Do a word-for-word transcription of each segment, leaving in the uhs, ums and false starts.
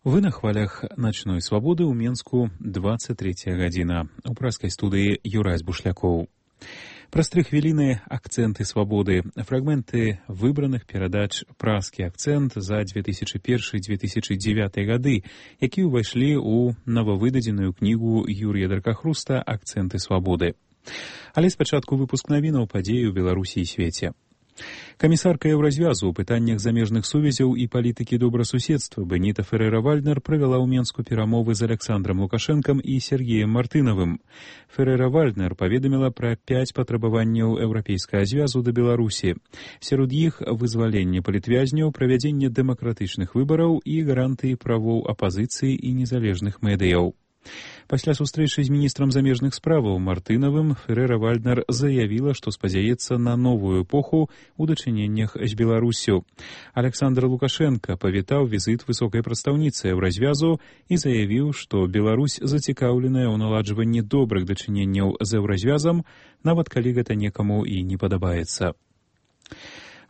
Вы на хвалях начной свабоды ў Менску двадцать третья гадзіна. У праскай студыі Юрась Бушлякоў. Праз тры хвіліны акцэнты свабоды, фрагменты выбраных перадач «Праскі акцэнт» за две тысячи первый — две тысячи девятый гады, якія ўвайшлі ў новавыдадзеную кнігу Юрія Дракахруста «Акцэнты свабоды». Але спачатку выпуск навінаў падзей у Беларусі і свеце. Камісарка Еўразвязу ў пытаннях замежных сувязяў і палітыкі добрасуседства Беніта Феррэра-Вальднер правяла ў Менску перамовы з Александром Лукашэнкам і Сергеем Мартынавым. Феррэра-Вальднер паведаміла пра пяць патрабаванняў Еўрапейскага звязу да Беларусі. Сярод іх вызваленне палітвязняў, правядзенне дэмакратычных выбараў і гарантыі правоў апазіцыі і незалежных медыяў. Пасля сустрэчы з міністрам замежных справаў Мартынавым Феррэра-Вальднер заявіла, што спадзяецца на новую эпоху ў дачыненнях з Беларусю. Александр Лукашенко павітаў візіт высокай прадстаўніцы Еўразвязу і заявіў, што Беларусь зацікаўленая ў наладжванні добрых дачыненняў з Еўразвязам, нават калі гэта некаму і не падабаецца.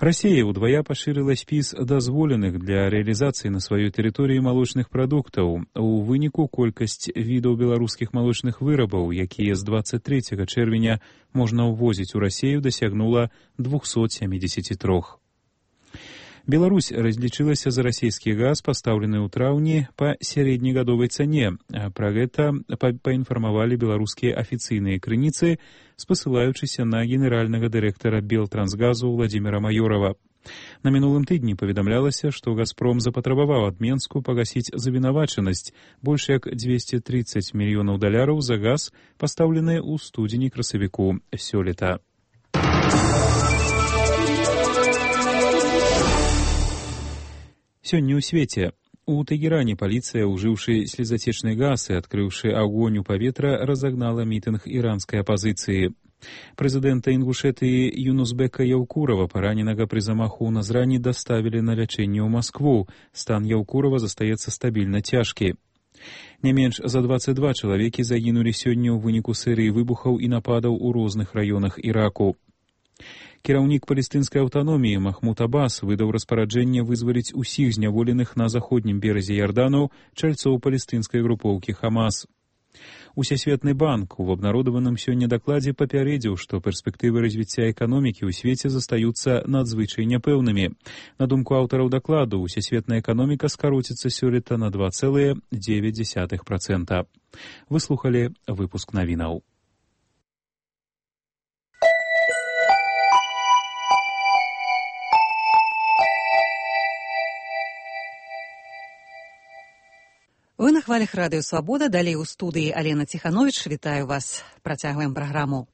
Расія ўдвая пашырыла спіс дазволеных для рэалізацыі на сваёй тэрыторыі малочных прадуктаў. У выніку колькасць відаў беларускіх малочных вырабаў, якія з двадцать трэцяга чэрвеня можна ўвозіць у Расію, дасягнула двухсот семидесяти трёх. Беларусь разлічылася за расійскі газ, пастаўлены ў траўні па сярэднегадовай цане. Пра гэта паінфармавалі беларускія афіцыйныя крыніцы, спасылаючыся на генеральнага дырэктара Белтрансгазу Владзіміра Маёрава. На мінулым тыдні паведамлялася, што «Газпром» запатрабаваў ад Менску пагасіць завінавачанасць больш як двести тридцать мільёнаў даляраў за газ, пастаўлены ў студзені-красавіку сёлета. Сёння ў свеце. У Тэгеране паліцыя, ужыўшы слезацечны газ і адкрыўшы агонь у паветра, разагнала мітынг іранскай апазіцыі. Прэзідэнта Інгушэтыі Юнусбека Яўкурова, параненага пры замаху ў Назрані, даставілі на лячэнне ў Маскву. Стан Яўкурова застаецца стабільна цяжкі. Не менш за двадцать два чалавекі загінулі сёння ў выніку серыі выбухаў і нападаў у розных раёнах Іраку. Кіраўнік палестынскай аўтаноміі Махмуд Аббас выдаў распараджэнне вызваліць усіх зняволеных на заходнім беразе Ярдану чальцоў палестынскай групоўкі Хамас. Усесветны банк у абнародаваным сёння дакладзе папярэдзіў, што перспектывы развіцця эканомікі ў свеце застаюцца надзвычай няпэўнымі. На думку аўтараў дакладу, усесветная эканоміка скароціцца сёлета на два цэлых дзевяць дзесятых працэнта. Вы слухалі выпуск навінаў. Вы на хвалях радыё «Свабода», далей у студыі Алена Ціхановіч. Вітаю вас. Працягваем праграму.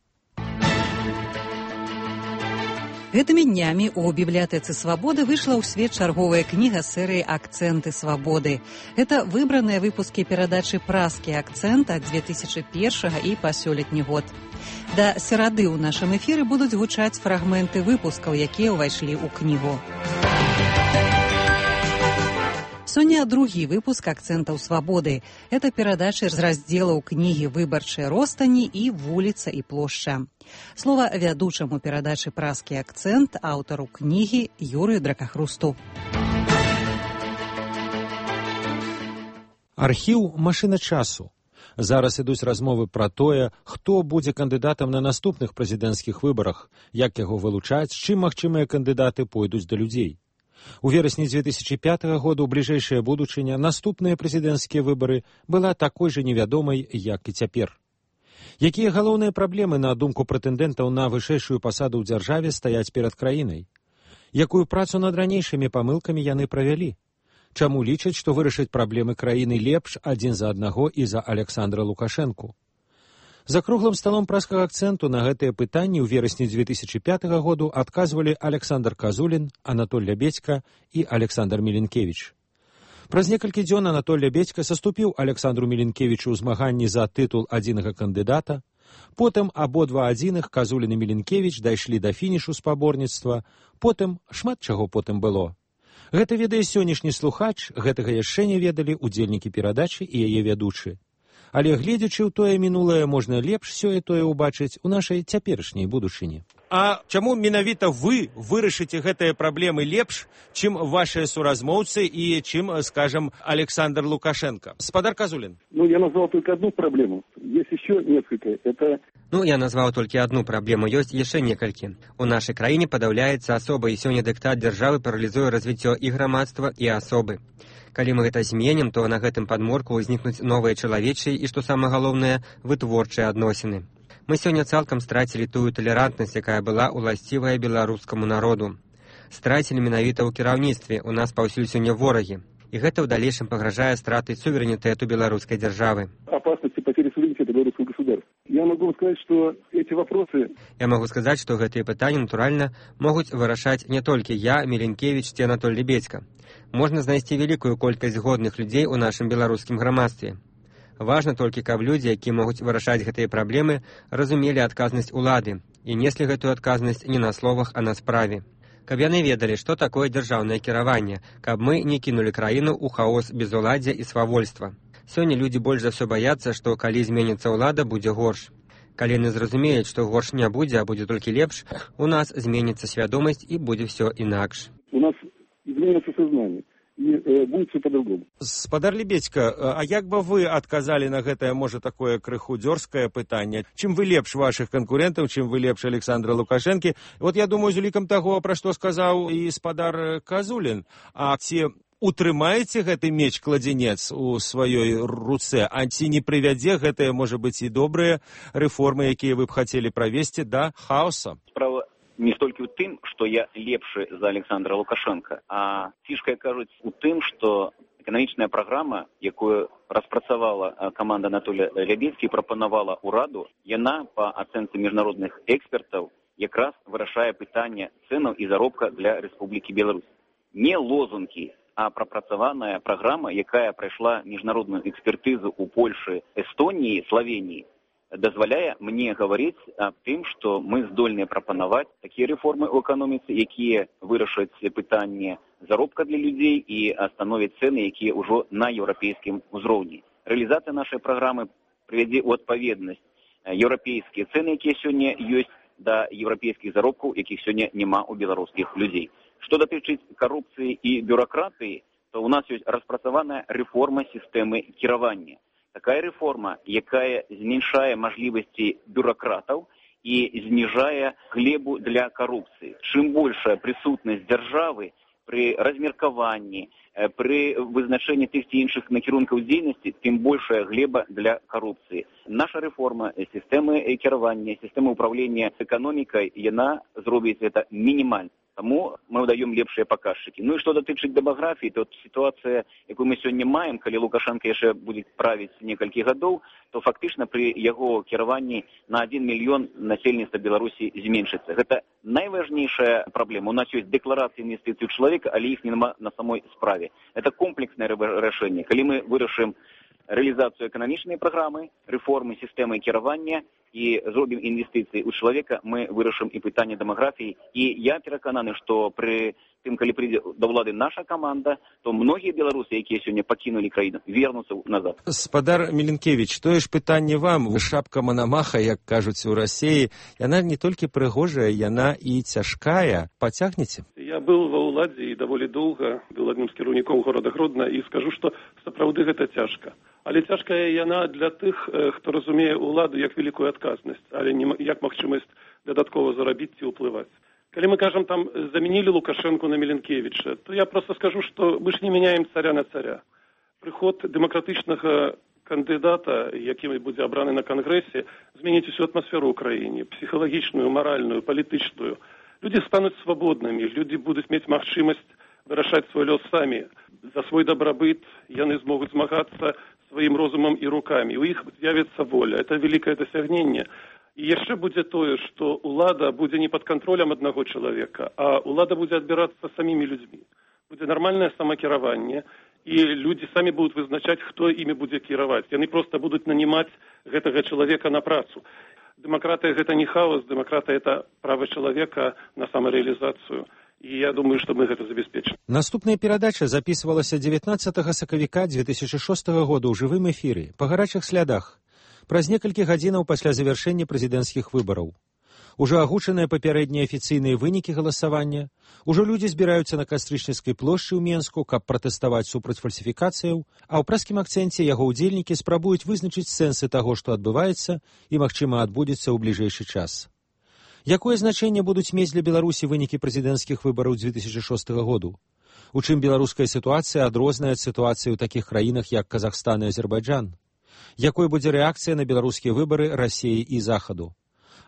Гэтымі днямі ў бібліятэцы «Свабоды» выйшла ў свет чарговая кніга серыі «Акцэнты свабоды». Гэта выбраныя выпускі перадачы «Праскі акцэнт» ад две тысячи первого і па сёлетні год. Да серады ў нашым эфіры будуць гучаць фрагменты выпускаў, якія ўвайшлі ў кнігу. Сёння другі выпуск «Акцэнтаў свабоды». Это перадачы з раздзелаў кнігі «Выбарчыя ростані» і «Вуліца і плошча». Слова вядучаму перадачы «Праскі акцэнт», аўтару кнігі Юрыю Дракахрусту. Архіў «Машына часу». Зараз ідуць размовы пра тое, хто будзе кандыдатам на наступных прэзідэнцкіх выбарах, як яго вылучаць, з чым магчымыя кандыдаты пойдуць да людзей. У верасні две тысячи пятого года ў бліжэйшая будучыня наступныя прэзідэнцкія выбары была такой жа невядомай, як і цяпер. Якія галоўныя праблемы, на думку прэтэндэнтаў на вышэйшую пасаду ў дзяржаве, стаяць перад краінай? Якую працу над ранейшымі памылкамі яны правялі? Чаму лічаць, што вырашыць праблемы краіны лепш адзін за аднаго і за Александра Лукашэнку? За круглым сталом праскага акцэнту на гэтыя пытанні ў верасні две тысячи пятого году адказвалі Александр Казулін, Анатоль Лябедзька і Александр Міленкевіч. Праз некалькі дзён Анатоль Лябедзька саступіў Александру Міленкевічу ў змаганні за тытул адзінага кандыдата, потым абодва адзіных, Казулін і Міленкевіч, дайшлі да фінішу спаборніцтва, потым шмат чаго потым было. Гэта ведае сённяшні слухач, гэтага яшчэ не ведалі удзельнікі перадачы і яе вядучы. Але гледзячы ў тое мінулае, можна лепш сёе-тое ўбачыць у нашай цяперашняй будучыні. А чаму менавіта вы вырашыце гэтыя праблемы лепш, чым вашыя суразмоўцы і чым, скажем, Александр Лукашенко? Спадар Казулин. Ну, я назвал только одну проблему. Есть еще несколько. Это... Ну, я назвал только одну праблему. Ёсць яшчэ некалькі. У нашай краіне падаўляецца асоба, і сёння дыктат дзяржавы паралізуе развіццё і грамадства, і асобы. Калі мы гэта зменім, то на гэтым падморку ўзнікнуць новыя чалавечыя і, што самае галоўнае, вытворчыя адносіны. Мы сёння цалкам страцілі тую талерантнасць, якая была ўласцівая беларускаму народу. Страцілі менавіта ў кіраўніцтве, у нас паўсюль сёння ворагі. І гэта ў далейшым пагражае стратай суверэнітэту беларускай дзяржавы. Опасности потери суверенитета белорусского государства. Я могу вам сказать, что эти вопросы... Я могу сказаць, што гэтыя пытанні, натуральна, могуць вырашаць не толькі я, Меленкевіч ці Анатоль Лебедзька. Можна знайсці вялікую колькасць годных людзей у нашым беларускім грамадстве. Важна толькі, каб людзі, якія могуць вырашаць гэтыя праблемы, разумелі адказнасць улады і неслі гэтую адказнасць не на словах, а на справе. Каб яны ведалі, што такое дзяржаўнае кіраванне, каб мы не кінулі краіну ў хаос безуладдзя і свавольства. Сёння людзі больш за ўсё баяцца, што калі зменіцца ўлада, будзе горш. Калі яны зразумеюць, што горш не будзе, а будзе толькі лепш, у нас зменіцца свядомасць і будзе ўсё інакш. У нас зменіцца сознание. І э, будет все по-другому. Спадар Лебедзька, а як бы вы адказалі на гэтае, можа, такое крыху дзёрзкае пытанне? Чым вы лепш вашых канкурэнтаў, чым вы лепш Александра Лукашэнкі? Вот я думаю, з улікам таго, пра што сказаў і спадар Казулін. А ці утрымаеце гэты меч-кладзенец у сваёй руцэ, а ці не прывядзе гэтыя, можа быць, і добрыя рэформы, якія вы б хацелі правесці, да хаоса? Справа не столькі ў тым, што я лепшы за Александра Лукашенка, а фішка, кажуць, у тым, што эканамічная праграма, якую распрацавала каманда Анатолія Лебедзькі і прапанавала ўраду, яна, па ацэнцы міжнародных экспертаў, якраз вырашае пытанне цэнаў і заробка для Рэспублікі Беларусь. Не лозунгі, а прапрацаваная праграма, якая прайшла міжнародную экспертызу ў Польшы, Эстоніі, Славеніі, дазваляе мне гаварыць аб тым, што мы здольныя прапанаваць такія рэформы ў эканоміцы, якія вырашаць пытанне заробка для людзей і становяць цэны, якія ўжо на еўрапейскім узроўні. Рэалізацыя нашай праграмы прывядзе ў адпаведнасць еўрапейскія цэны, якія сёння ёсць, да еўрапейскіх заробкаў, якіх сёння няма ў беларускіх людзей. Што датычыць карупцыі і бюракратыі, то ў нас ёсць распрацаваная рэформа сістэмы кіравання. Такая рэформа, якая зменшае мажлівасці бюракратаў і зніжае глебу для карупцыі. Чым большая прысутнасць дзяржавы пры размеркаванні, пры вызначэнні тых ці іншых накірункаў дзейнасці, тым большая глеба для карупцыі. Наша рэформа сістэмы кіравання, сістэмы ўпраўлення эканомікай, яна зробіць гэта мінімальна. Таму мы даем лепшыя паказчыкі. Ну і што датычыць дэмаграфіі, то сітуацыя, якую мы сёння маем, калі Лукашенко яшчэ будзе правіць некалькі гадоў, то фактычна пры яго кіраванні на адзін мільён насельніцтва Беларусі зменшыцца. Гэта найважнейшая праблема. У нас ёсць дэкларацыі інвестыцый чалавека, але іх няма на самой справе. Это комплекснае рашэнне. Калі мы вырашым рэалізацыю эканамічнай праграмы, рэформы сістэмы кіравання і зробім інвестыцыі ў чалавека, мы вырашым і пытанне дэмаграфіі. І я перакананы, што пры тым, калі прыйдзе да ўлады наша каманда, то многія беларусы, якія сёння пакінулі краіну, вернуцца назад. Спадар Меленкевіч, тое ж пытанне вам. Шапка Манамаха, як кажуць у Расіі, яна не толькі прыгожая, яна і цяжкая. Пацягнеце? Я быў ва ўладзе і даволі доўга быў адным з кіраўнікоў горада Гродна і скажу, што сапраўды гэта цяжка. Але цяжкая яна для тых, хто разумее ўладу як вялікую адказнасць, але не як магчымасць дадаткова зарабіць ці ўплываць. Калі мы кажам, там замянілі Лукашенко на Меленкевіча, то я просто скажу, што мы ж не мяняем царя на царя. Прыход дэмакратычнага кандыдата, які будзе абраны на кангрэсе, зменіць усю атмасферу ў краіне, псіхалагічную, маральную, палітычную. Людзі стануць свабоднымі, людзі будуць мець магчымасць вырашаць свой лёс самі. За свой дабрабыт яны змогуць змагацца сваім розумам і рукамі. У іх з'явіцца воля. Это вялікае дасягненне. І яшчэ будзе тое, што ўлада будзе не пад кантролем аднаго чалавека, а ўлада будзе адбірацца самімі людзьмі. Будзе нармальнае самакіраванне, і людзі самі будуць вызначаць, хто імі будзе кіраваць. Яны проста будуць нанімаць гэтага чалавека на працу. Дэмакратыя гэта не хаос, дэмакратыя это права чалавека на самарэалізацыю. І я думаю, што мы гэта забяспечым. Наступная перадача запісвалася дзевятнаццатага сакавіка дзве тысячы шостага года ў жывым эфіры па гарачых слядах праз некалькі гадзінаў пасля завяршэння прэзідэнцкіх выбараў. Ужо агучаныя папярэднія афіцыйныя вынікі галасавання. Ужо людзі збіраюцца на Кастрычніцкай плошчы ў Менску, каб пратэставаць супраць фальсіфікацыяў, а ў праскім акцэнце яго ўдзельнікі спрабуюць вызначыць сэнсы таго, што адбываецца і, магчыма, адбудзецца ў бліжэйшы час. Якое значэнне будуць мець для Беларусі вынікі прэзідэнцкіх выбараў две тысячи шостага году? У чым беларуская сітуацыя адрозная ад сітуацыі ў такіх краінах, як Казахстан і Азербайджан? Якой будзе рэакцыя на беларускія выбары Расіі і Захаду?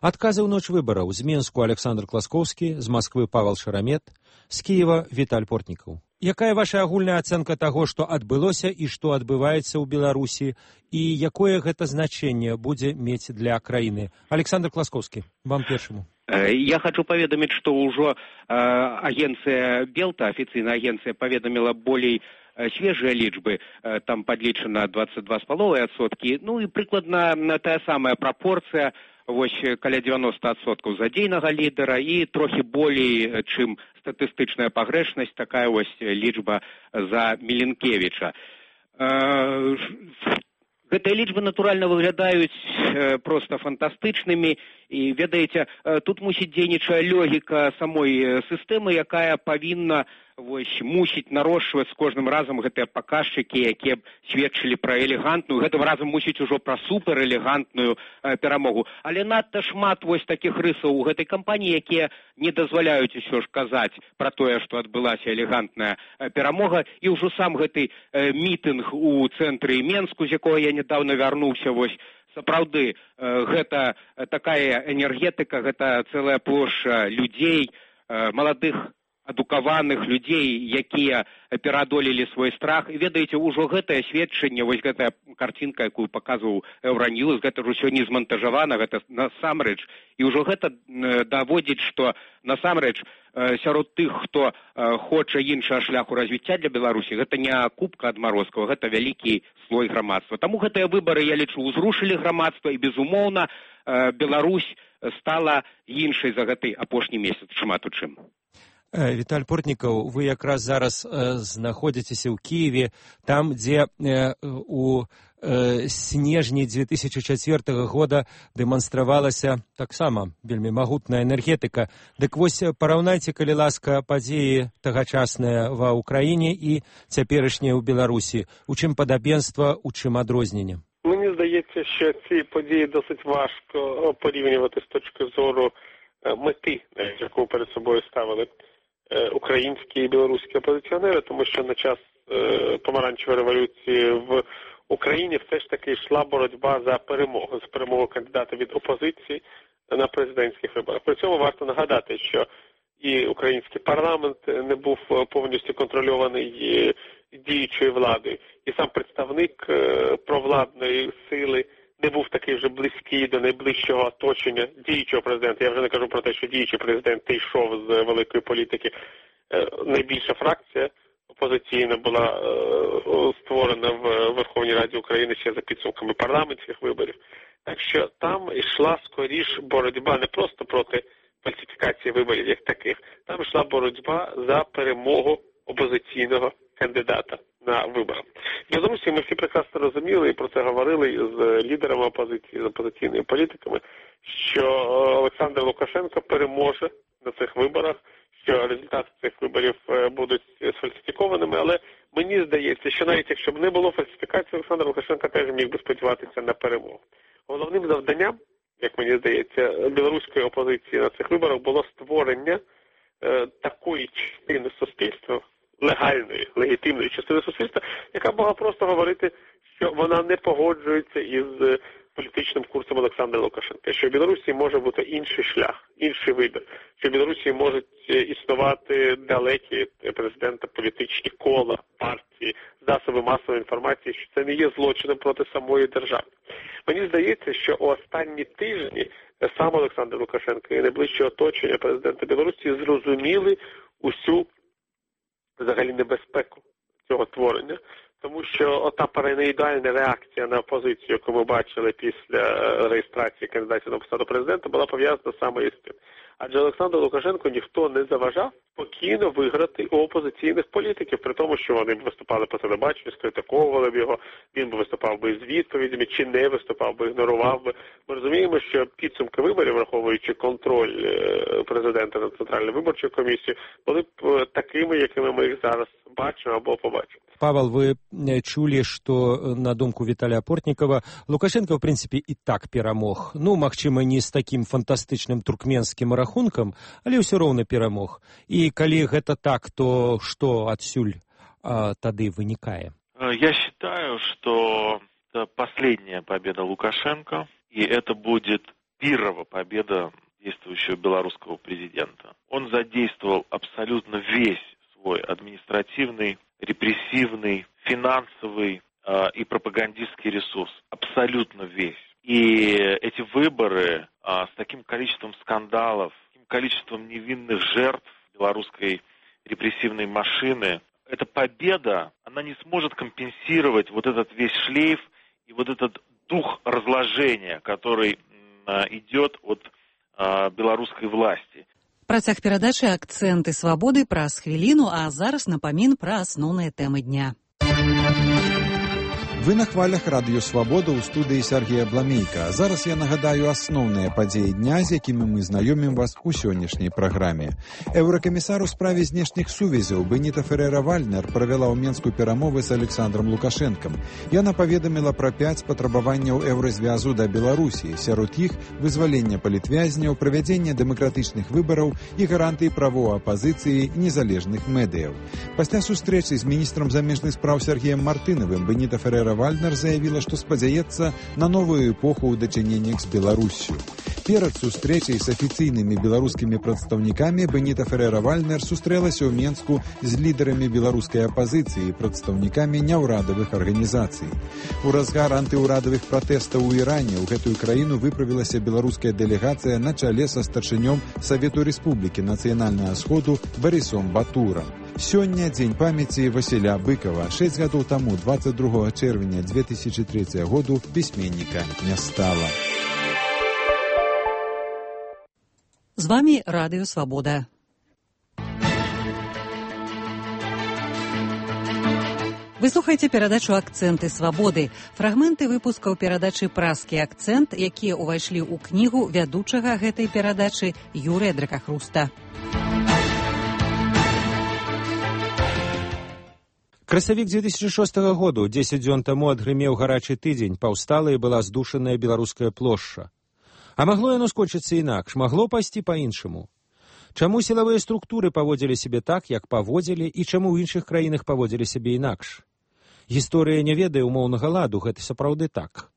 Адказы ў ноч выбараў. З Менску Александр Класкоўскі, з Масквы Павел Шарамет, з Кіева Віталь Портнікаў. Якая ваша агульная ацэнка таго, што адбылося і што адбываецца ў Беларусі, і якое гэта значэнне будзе мець для краіны? Александр Класкоўскі, вам першаму. Я хочу поведомить, что уже э, агенция Белта, официальная агенция, поведомила более э, свежие лічбы, э, там подлічена двадцать два с половиной отсотки, ну и прикладно та самая пропорция, вось каля девяносто отсотков задзейнага лідера і трохи болей, чым статыстычная пагрэшнасць, такая вось лічба за Міленкевіча. Э, Гэтыя лічбы, натуральна, выглядаюць э, проста фантастычнымі, і, ведаеце, э, тут мусіць дзейнічае логіка самой э, сістэмы, якая павінна вось, мусіць нарошчваць з кожным разам гэтыя паказчыкі, якія б сведчылі пра элегантную, гэтым разам мусіць ужо пра суперэлегантную э, перамогу. Але надта шмат вось такіх рысаў у гэтай кампаніі, якія не дазваляюць усё ж казаць пра тое, што адбылася элегантная э, перамога, і ўжо сам гэты э, мітынг у цэнтры Менску, з якога я недавно вярнуўся, вось, сапраўды, э, гэта такая энергетыка, гэта цэлая плошча людзей, э, маладых, адукаваных людзей, якія пераадолелі свой страх. І ведаеце, ужо гэтае сведчанне, вось гэтая карцінка, якую паказваў Еўраньюз, гэта ўжо сёння змантажавана, гэта насамрэч. І ўжо гэта даводзіць, што насамрэч сярод тых, хто хоча іншага шляху развіцця для Беларусі, гэта не купка адмарозкаў, гэта вялікі слой грамадства. Таму гэтыя выбары, я лічу, узрушылі грамадства, і, безумоўна, Беларусь стала іншай за гэты апошні месяц, шмат у чым. Віталь Портнікаў, вы якраз зараз э, знаходзіцеся ў Кіеве, там, дзе э, у э, снежні две тысячи четвёртага года дэманстравалася таксама вельмі магутная энергетыка. Дык вось параўнайце, калі ласка, падзеі тагачасныя ва ўкраіне і цяперашнія ў Беларусі. У чым падабенства, у чым адрозненне? Мені здається, що ці події досить важко порівнювати з точки зору мети, яку перед собою ставили українські і білоруські опозиціонери, тому що на час е, помаранчевої революції в Україні все ж таки йшла боротьба за перемогу, за перемогу кандидата від опозиції на президентських виборах. При цьому варто нагадати, що і український парламент не був повністю контрольований діючою владою, і сам представник е, провладної сили не був такий вже близький до найближчого оточення діючого президента. Я вже не кажу про те, що діючий президент йшов з великої політики. Найбільша фракція опозиційна була створена в Верховній Раді України ще за підсумками парламентських виборів. Так що там йшла скоріш боротьба не просто проти фальсифікації виборів як таких. Там йшла боротьба за перемогу опозиційного кандидата на виборах. В Білорусі ми всі прекрасно розуміли і про це говорили з лідерами опозиції, з опозиційними політиками, що Олександр Лукашенко переможе на цих виборах, що результати цих виборів будуть сфальсифікованими, але мені здається, що навіть якщо б не було фальсифікації, Олександр Лукашенко теж міг би сподіватися на перемогу. Головним завданням, як мені здається, білоруської опозиції на цих виборах було створення е, такої частини суспільства, легальної, легітимної частини суспільства, яка могла просто говорити, що вона не погоджується із політичним курсом Олександра Лукашенка, що в Білорусі може бути інший шлях, інший вибір, що в Білорусі можуть існувати далекі президента політичні кола, партії, засоби масової інформації, що це не є злочином проти самої держави. Мені здається, що у останні тижні сам Олександр Лукашенко і найближче оточення президента Білорусі зрозуміли усю взагалі небезпеку цього творення, тому що ота параноїдальна реакція на опозицію, яку ми бачили після реєстрації кандидатів на посаду президента, була пов'язана саме із тим. Адже Олександру Лукашенку ніхто не заважав спокійно виграти у опозиційних політиків, при тому, що вони б виступали по телебаченню, скритиковували б його, він би виступав би з відповідями, чи не виступав би, ігнорував би. Ми розуміємо, що підсумки виборів, враховуючи контроль президента над Центральною виборчою комісією, були б такими, якими ми їх зараз бачимо або побачимо. Павел, вы чулі, што на думку Віталія Портнікава Лукашенко, в прынцыпе, і так перамог. Ну, магчыма, не з такім фантастычным туркменскім рахункам, але ўсё роўна перамог. І калі гэта так, то што адсюль а, тады вынікае? Я считаю, что это последняя победа Лукашенко, и это будет первая победа действующего белорусского президента. Он задействовал абсолютно весь свой административный, репрессивный, финансовый э, и пропагандистский ресурс. Абсолютно весь. И эти выборы э, с таким количеством скандалов, таким количеством невинных жертв белорусской репрессивной машины, эта победа, она не сможет компенсировать вот этот весь шлейф и вот этот дух разложения, который э, идет от э, белорусской власти. Працяг перадачы «Акценты свабоды» праз хвіліну, а зараз напамін пра асноўныя тэмы дня. Вы на хвалях радыё «Свабода» ў студыі Сергея Бламейка. Зараз я нагадаю асноўныя падзеі дня, з якімі мы знаёмім вас у сённяшняй праграме. Еўракамісар у справе знешніх сувязяў Беніта Ферэра-Вальнер правяла ў Менску перамовы з Александром Лукашэнкам. Яна паведаміла пра пяць патрабаванняў еўразвязу да Беларусі, сярод іх вызвалення палітвязняў, правядзення дэмакратычных выбараў і гарантыі правоў апазіцыі і незалежных медыяў. Пасля сустрэчы з міністрам замежных спраў Сергеем Мартынавым Беніта Ферэра Вальнер заявила, что спадзяецца на новую эпоху ў дачыненнях з Беларусью. Перад сустрэчай з афіцыйнымі беларускімі прадстаўнікамі Беніта Ферэра-Вальнер сустрэлася ў Менску з лідарамі беларускай апазіцыі і прадстаўнікамі няўрадавых арганізацый. У разгар антыўрадавых пратэстаў у Іране ў гэтую краіну выправілася беларуская дэлегацыя на чале са старшынём Савету Рэспублікі Нацыянальнага Сходу Барысом Батурам. Сёння дзень памяці Васіля Быкова. Шэсць гадоў таму, двадцать другого чэрвеня две тысячи третьего году, пісьменніка не стала. З вами Радыё Свабода. Вы слухаеце перадачу «Акценты свабоды». Фрагменты выпускаў перадачы «Празкі акцэнт», якія ўвайшлі ў кнігу вядучага гэтай перадачы Юрыя Дракахруста. Красавік две тысячи шостого году, дзесяць дзён таму адгрымеў гарачы тыдзень, паўстала і была здушаная беларуская плошча. А магло яно скончыцца інакш, магло пайсці па-іншаму. Чаму сілавыя структуры паводзілі сябе так, як паводзілі, і чаму ў іншых краінах паводзілі сябе інакш? Гісторыя не ведае умоўнага ладу, гэта сапраўды так.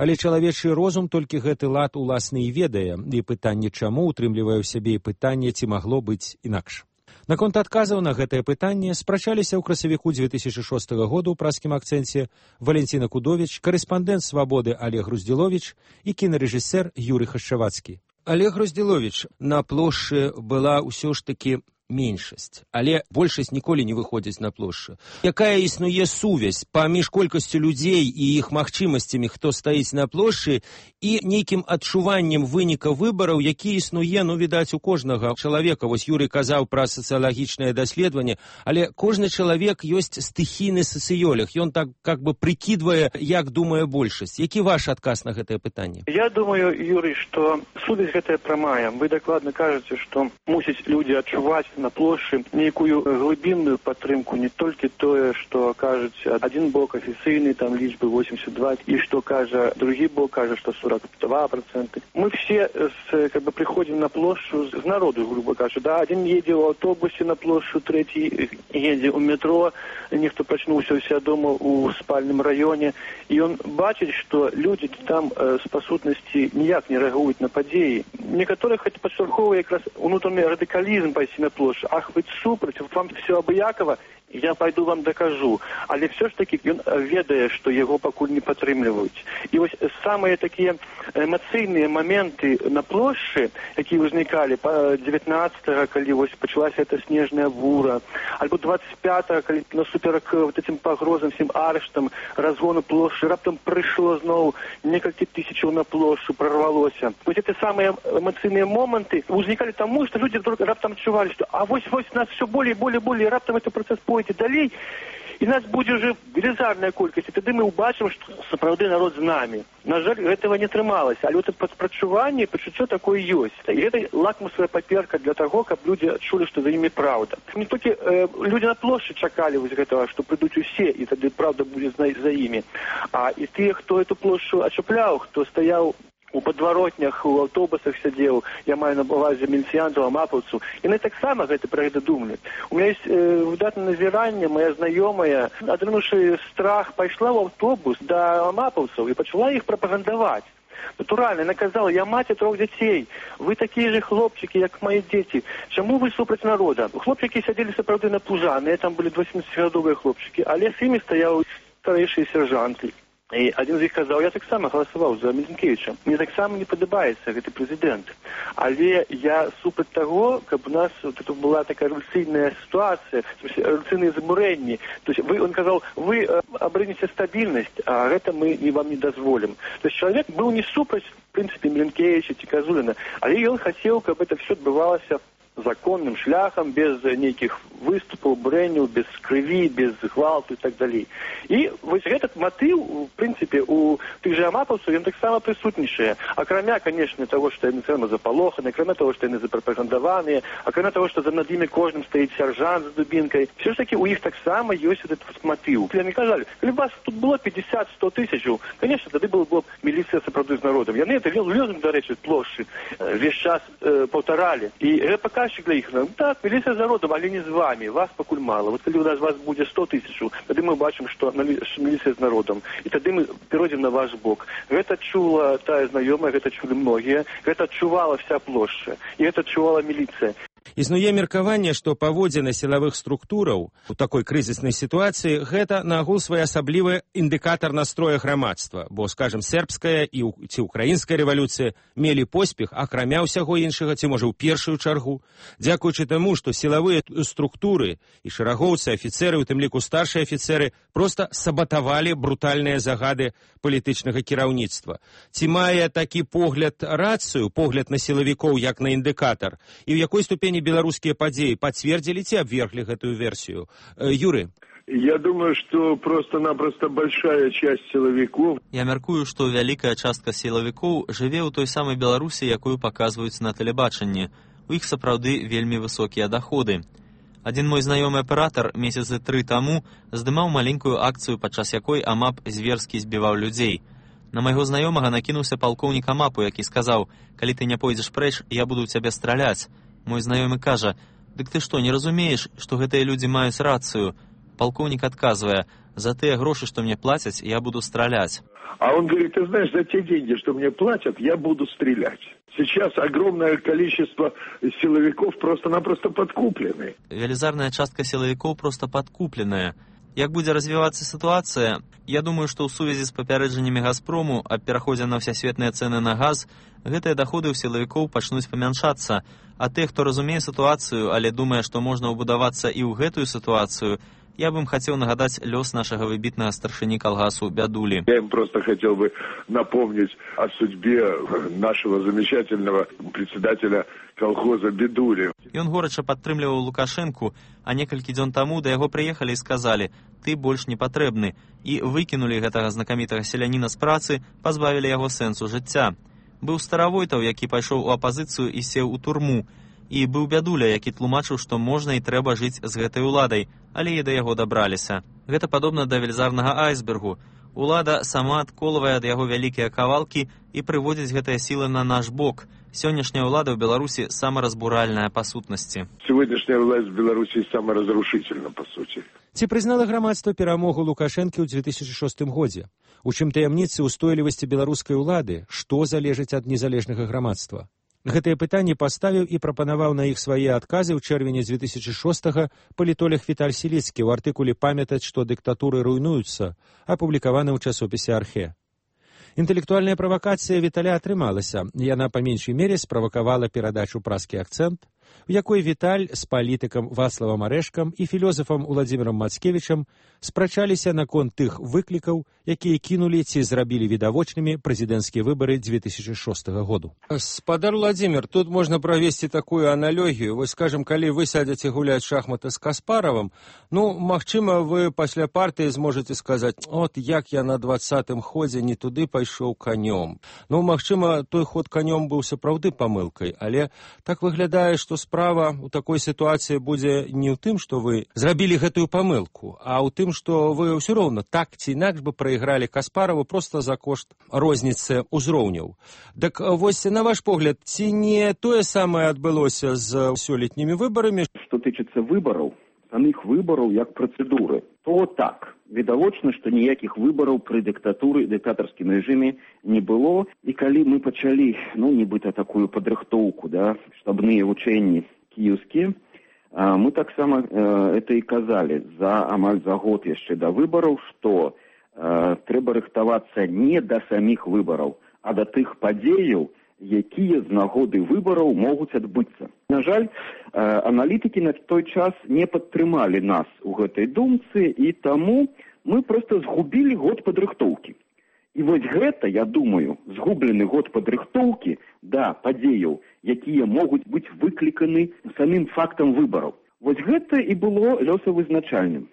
Але чалавечы розум толькі гэты лад уласны і ведае, і пытанне чаму утрымлівае ў сябе і пытанне, ці магло быць інакш. Наконт адказаў на гэтае пытанне спрачаліся ў красавіку две тысячи шостого году ў празкім акцэнце Валентина Кудович, корэспандэнт «Свабоды» Олег Груздзіловіч і кінарэжысэр Юрый Хашчавацкі. Олег Груздзіловіч, на плошчы была ўсё ж такі меншасць, але большасць ніколі не выходзіць на плошчу. Якая існуе сувязь паміж колькасцю людзей і іх магчымасцямі, хто стаіць на плошчы, і нейкім адчуваннем выніка выбараў, які існуе, ну, відаць, у кожнага чалавека. Вось Юрый казаў пра сацыялагічнае даследаванне, але кожны чалавек ёсць стыхійны сацыёлог. Ён так как бы прыкідвае, як думае большасць. Які ваш адказ на гэтае пытанне? Я думаю, Юрый, што сувязь гэтая прамая. Вы дакладна кажаце, што мусяць людзі адчуваць на плошчы нейкую глыбінную падтрымку, не толькі тое, што кажуць адзін бок афіцыйны, там лічбы восемьдесят два, і што кажа другі бок, кажа, што сорок два процента. Мы все с, как бы, приходим на площадь с народу, грубо кажучи. Да, один едет в автобусе на площадь, третий едет в метро, ніхто прачнуўся у себя дома у спальным районе, и он бачит, что люди там э, с пасутнасці ніяк не реагуют на падзеі. Некоторых это подштурховывает как раз внутренний радикализм пойти на площадь. Ах, вы супраць, вам все абыякова, я пайду вам дакажу. Але все ж таки ён ведае, што яго пакуль не падтрымліваюць. І вось самыя такія эмацыйныя моменты на плошчы, якія ўзнікалі па дзевятнаццатага, калі вось пачалася эта снежная бура, альбо двадцать пятага, калі насуперак вот этим пагрозам, всім арыштам, разгону плошчы, раптам прыйшло зноў некалькі тысячаў на плошчу, прорвалося. Вось эти самыя эмацыйныя моманты ўзнікалі таму, што людзі вдруг раптам адчувалі, што а вось-вось нас все болей, болей, болей, раптам этот працэс пойдзе далей, і нас будзе ўжо велізарная колькасць, і тады мы ўбачым, што сапраўды народ з намі. На жаль, гэтага не атрымалася, але это прадпрачуванне, пачуццё такое ёсць. І гэта лакмусовая паперка для таго, каб людзі адчулі, што за імі праўда. Не толькі э, людзі на плошчы чакалі вось гэтага, што прыйдуць усе, і тады праўда будзе за, за імі. А і тыя, хто эту плошчу ачапляў, хто стаяў у падваротнях, у аўтобусах сядзеў, я маю на увазе міліцыянтаў, амапаўцаў, яны таксама гэта пра гэта думалі. У меня есть э, выдатнае назіранне, моя знаёмая, атрымаўшы страх, пайшла ў аўтобус да амапаўцаў і пачала іх прапагандаваць. Натуральна, яна казала, я маці трох дзяцей, вы такія же хлопчыкі, як мае дзеці, чаму вы супраць народа? Хлопчыкі сядзелі сапраўды напужаныя, там былі дваццацігадовыя хлопчыкі, але з імі стаяў старэйшыя сержанты. І адзін з іх казаў, я таксама галасаваў за Мілінкевіча. Мне таксама не падабаецца гэты прэзідэнт. Але я супраць таго, каб у нас вот это была такая рэвалюцыйная сітуацыя, рэвалюцыйныя замурэнні. То есть вы, он казаў, вы абрынеце стабільнасць, а гэта мы не вам не дазволім. То есть чалавек быў не супраць, в прынцыпе, Мілінкевіча ці Казуліна, але ён хацеў, каб это все адбывалася законным шляхам, без нейкіх выступаў, брэнняў, без крыві, без гвалту і так далей. І вось этот матыў, в прынцыпе, у тых жа амапаўцаў, ён таксама прысутнічае. Акрамя, конечно, того, што яны цэлма запалоханы, акрамя того, што яны запрапагандаваныя, акрамя того, што за над імі кожным стаіць сяржант з дубінкай, все ж таки у іх таксама ёсць этот матыў. Яны казалі, калі вас тут было пятьдесят-сто тысячаў, конечно, тады было б міліцыя сапраўды з народам. Яны это лёзунг, дарэчы, плошчы весь час э, паўтаралі. І гэта паказчык для іх. Ну, так, міліцыя з народам, але не з вами, вас пакуль мала. Вот калі у нас вас будзе сто тысячаў, тады мы бачым, што міліцыя з народам. І тады мы перайдзем на ваш бок. Гэта чула тая знаёмая, гэта чулі многія, гэта адчувала вся плошча, і гэта адчувала міліцыя. Існуе меркаванне, што паводзіны сілавых структураў у такой крызіснай сітуацыі гэта нагул своеасаблівы індыкатар настроя грамадства, бо, скажем, сербская і ці украінская рэвалюцыя мелі поспех, акрамя ўсяго іншага, ці можа ў першую чаргу, дзякуючы таму, што сілавыя структуры і шэрагоўцы, афіцеры, у тым ліку старшыя афіцеры, проста сабатавалі брутальныя загады палітычнага кіраўніцтва. Ці мае такі погляд рацыю, погляд на сілавікоў як на індыкатар, і ў якой ступені беларускія падзеі пацвердзілі ці абверглі гэтую версію? Юры? Я думаю, что просто-напросто большая часть силовиков... Я мяркую, што вялікая частка сілавікоў жыве ў той самай Беларусі, якую паказваюць на тэлебачанні. У іх сапраўды вельмі высокія даходы. Адзін мой знаёмы аператар месяцы тры таму здымаў маленькую акцыю, падчас якой амап зверскі збіваў людзей. На майго знаёмага накінуўся палкоўнік амапу, які сказаў, калі ты не пойдзеш прэч, я буду ў цябе страляць. Мой знаёмы кажа, дык ты што, не разумееш, што гэтыя людзі маюць рацыю? Палкоўнік адказвае, за тыя грошы, што мне плацяць, я буду страляць. А он говорит, ты знаешь, за те деньги, что мне платят, я буду стрелять. Сейчас огромное количество силовиков просто-напросто подкуплены. Велізарная частка силовиков просто подкупленая. Як будзе развівацца сітуацыя, я думаю, што ў сувязі з папярэджаннямі Газпрому аб пераходзе на ўсясветныя цэны на газ, гэтыя даходы ў сілавікоў пачнуць памяншацца, а тых, хто разумее сітуацыю, але думае, што можна ўбудавацца і ў гэтую сітуацыю, я бы им хотел нагадать лёс нашего выбитного старшини колгасу Бядули. Я им просто хотел бы напомнить о судьбе нашего замечательного председателя колхоза Бядули. Ён горача падтрымліваў Лукашэнку, а некалькі дзён таму да яго прыехалі і сказалі: «Ты больш не патрэбны», і выкінулі гэтага знакамітага селяніна з працы, пазбавілі яго сэнсу жыцця. Быў Старавойтаў, які пайшоў у апазіцыю і сеў у турму. І быў Бядуля, які тлумачыў, што можна і трэба жыць з гэтай уладай, але і да яго дабраліся. Гэта падобна да велізарнага айсбергу. Улада сама адколвае ад яго вялікія кавалкі і прыводзіць гэтыя сілы на наш бок. Сённяшняя ўлада ў Беларусі самаразбуральная па сутнасці. Сегодняшняя власть в Беларуси саморазрушительна, по сути. Ці прызнала грамадства перамогу Лукашэнкі ў две тысячы шостым годзе? У чым таямніцы ўстойлівасці беларускай улады? Што залежыць ад незалежнага грамадства? Гэтыя пытанні паставіў і прапанаваў на іх свае адказы ў чэрвені дзве тысячы шостага палітолог Віталь Сіліцкі ў артыкуле «Памятаць, што дыктатуры руйнуюцца», апублікаваны ў часопісе «Архе». Інтэлектуальная правакацыя Віталя атрымалася. Яна па меншай мере справакавала перадачу «Праскі акцэнт», у якой Віталь з палітыкам Вацлавам Арэшкам і філёзафам Уладзімірам Мацкевічам спрачаліся наконт тых выклікаў, якія кінулі ці зрабілі відавочнымі прэзідэнцкія выбары дзве тысячы шостага году. Спадар Уладзімір, тут можна правесці такую аналогію. Вось, скажем, калі вы сядзеце гуляць шахматы з Каспаравым, ну, магчыма, вы пасля партыі зможаце сказаць: «От як я на дваццатым ходзе не туды пайшоў канём». Ну, магчыма, той ход канём быў сапраўды памылкай, але так выглядае, што справа ў такой сітуацыі будзе не ў тым, што вы зрабілі гэтую памылку, а ў тым, што вы ўсё роўна так ці інакш бы прайгралі Каспараву проста за кошт розніцы ўзроўняў. Дык вось, на ваш погляд, ці не тое самае адбылося з сёлетнімі выбарамі? Што тычыцца выбараў, самых выбараў як працэдуры, то так. Відавочна, што ніякіх выбараў пры дыктатуры, дыктатарскім рэжыме не было. І калі мы пачалі, ну, нібыта такую падрыхтоўку, да, штабныя вучэнні кіеўскія, мы таксама это і казалі за амаль за год яшчэ да выбараў, што трэба рыхтавацца не да саміх выбараў, а да тых падзеяў, якія з нагоды выбараў могуць адбыцца. На жаль, аналітыкі на той час не падтрымалі нас у гэтай думцы, і таму мы проста згубілі год падрыхтоўкі. І вось гэта, я думаю, згублены год падрыхтоўкі да падзеяў, якія могуць быць выкліканы самым фактам выбараў. Вось гэта і было лёсавызначальным.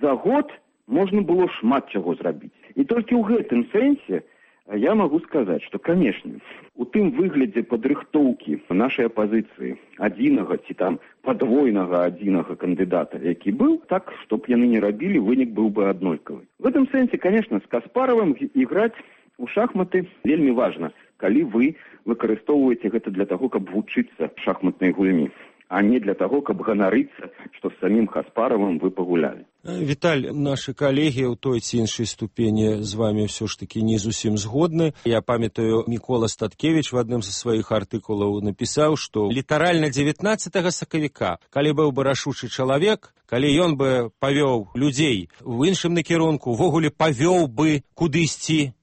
За год можна было шмат чаго зрабіць. І толькі ў гэтым сэнсе я могу сказаць, што, канешне, у тым выглядзе падрыхтоўкі нашай апазіцыі адзінага ці там падвойнага адзінага кандыдата, які быў, так, чтоб яны не рабілі, вынік быў бы аднолькавы. В гэтым сэнсе, конечно, з Каспаравым іграць у шахматы вельмі важна, калі вы выкарыстоўваеце гэта для таго, каб вучыцца шахматнай гульні, а не для таго, каб ганарыцца, што з самім Каспаравым вы пагулялі. Віталь, нашы калегі ў той ці іншай ступені з вами ўсё ж такі не зусім згодны. Я памятаю, Мікола Статкевіч в адным з сваіх артыкулаў напісаў, што літаральна дзевятнаццатага сакавіка, калі быў бы рашучы чалавек, калі ён бы павёў людзей у іншым накірунку, увогуле павёў бы кудысьці,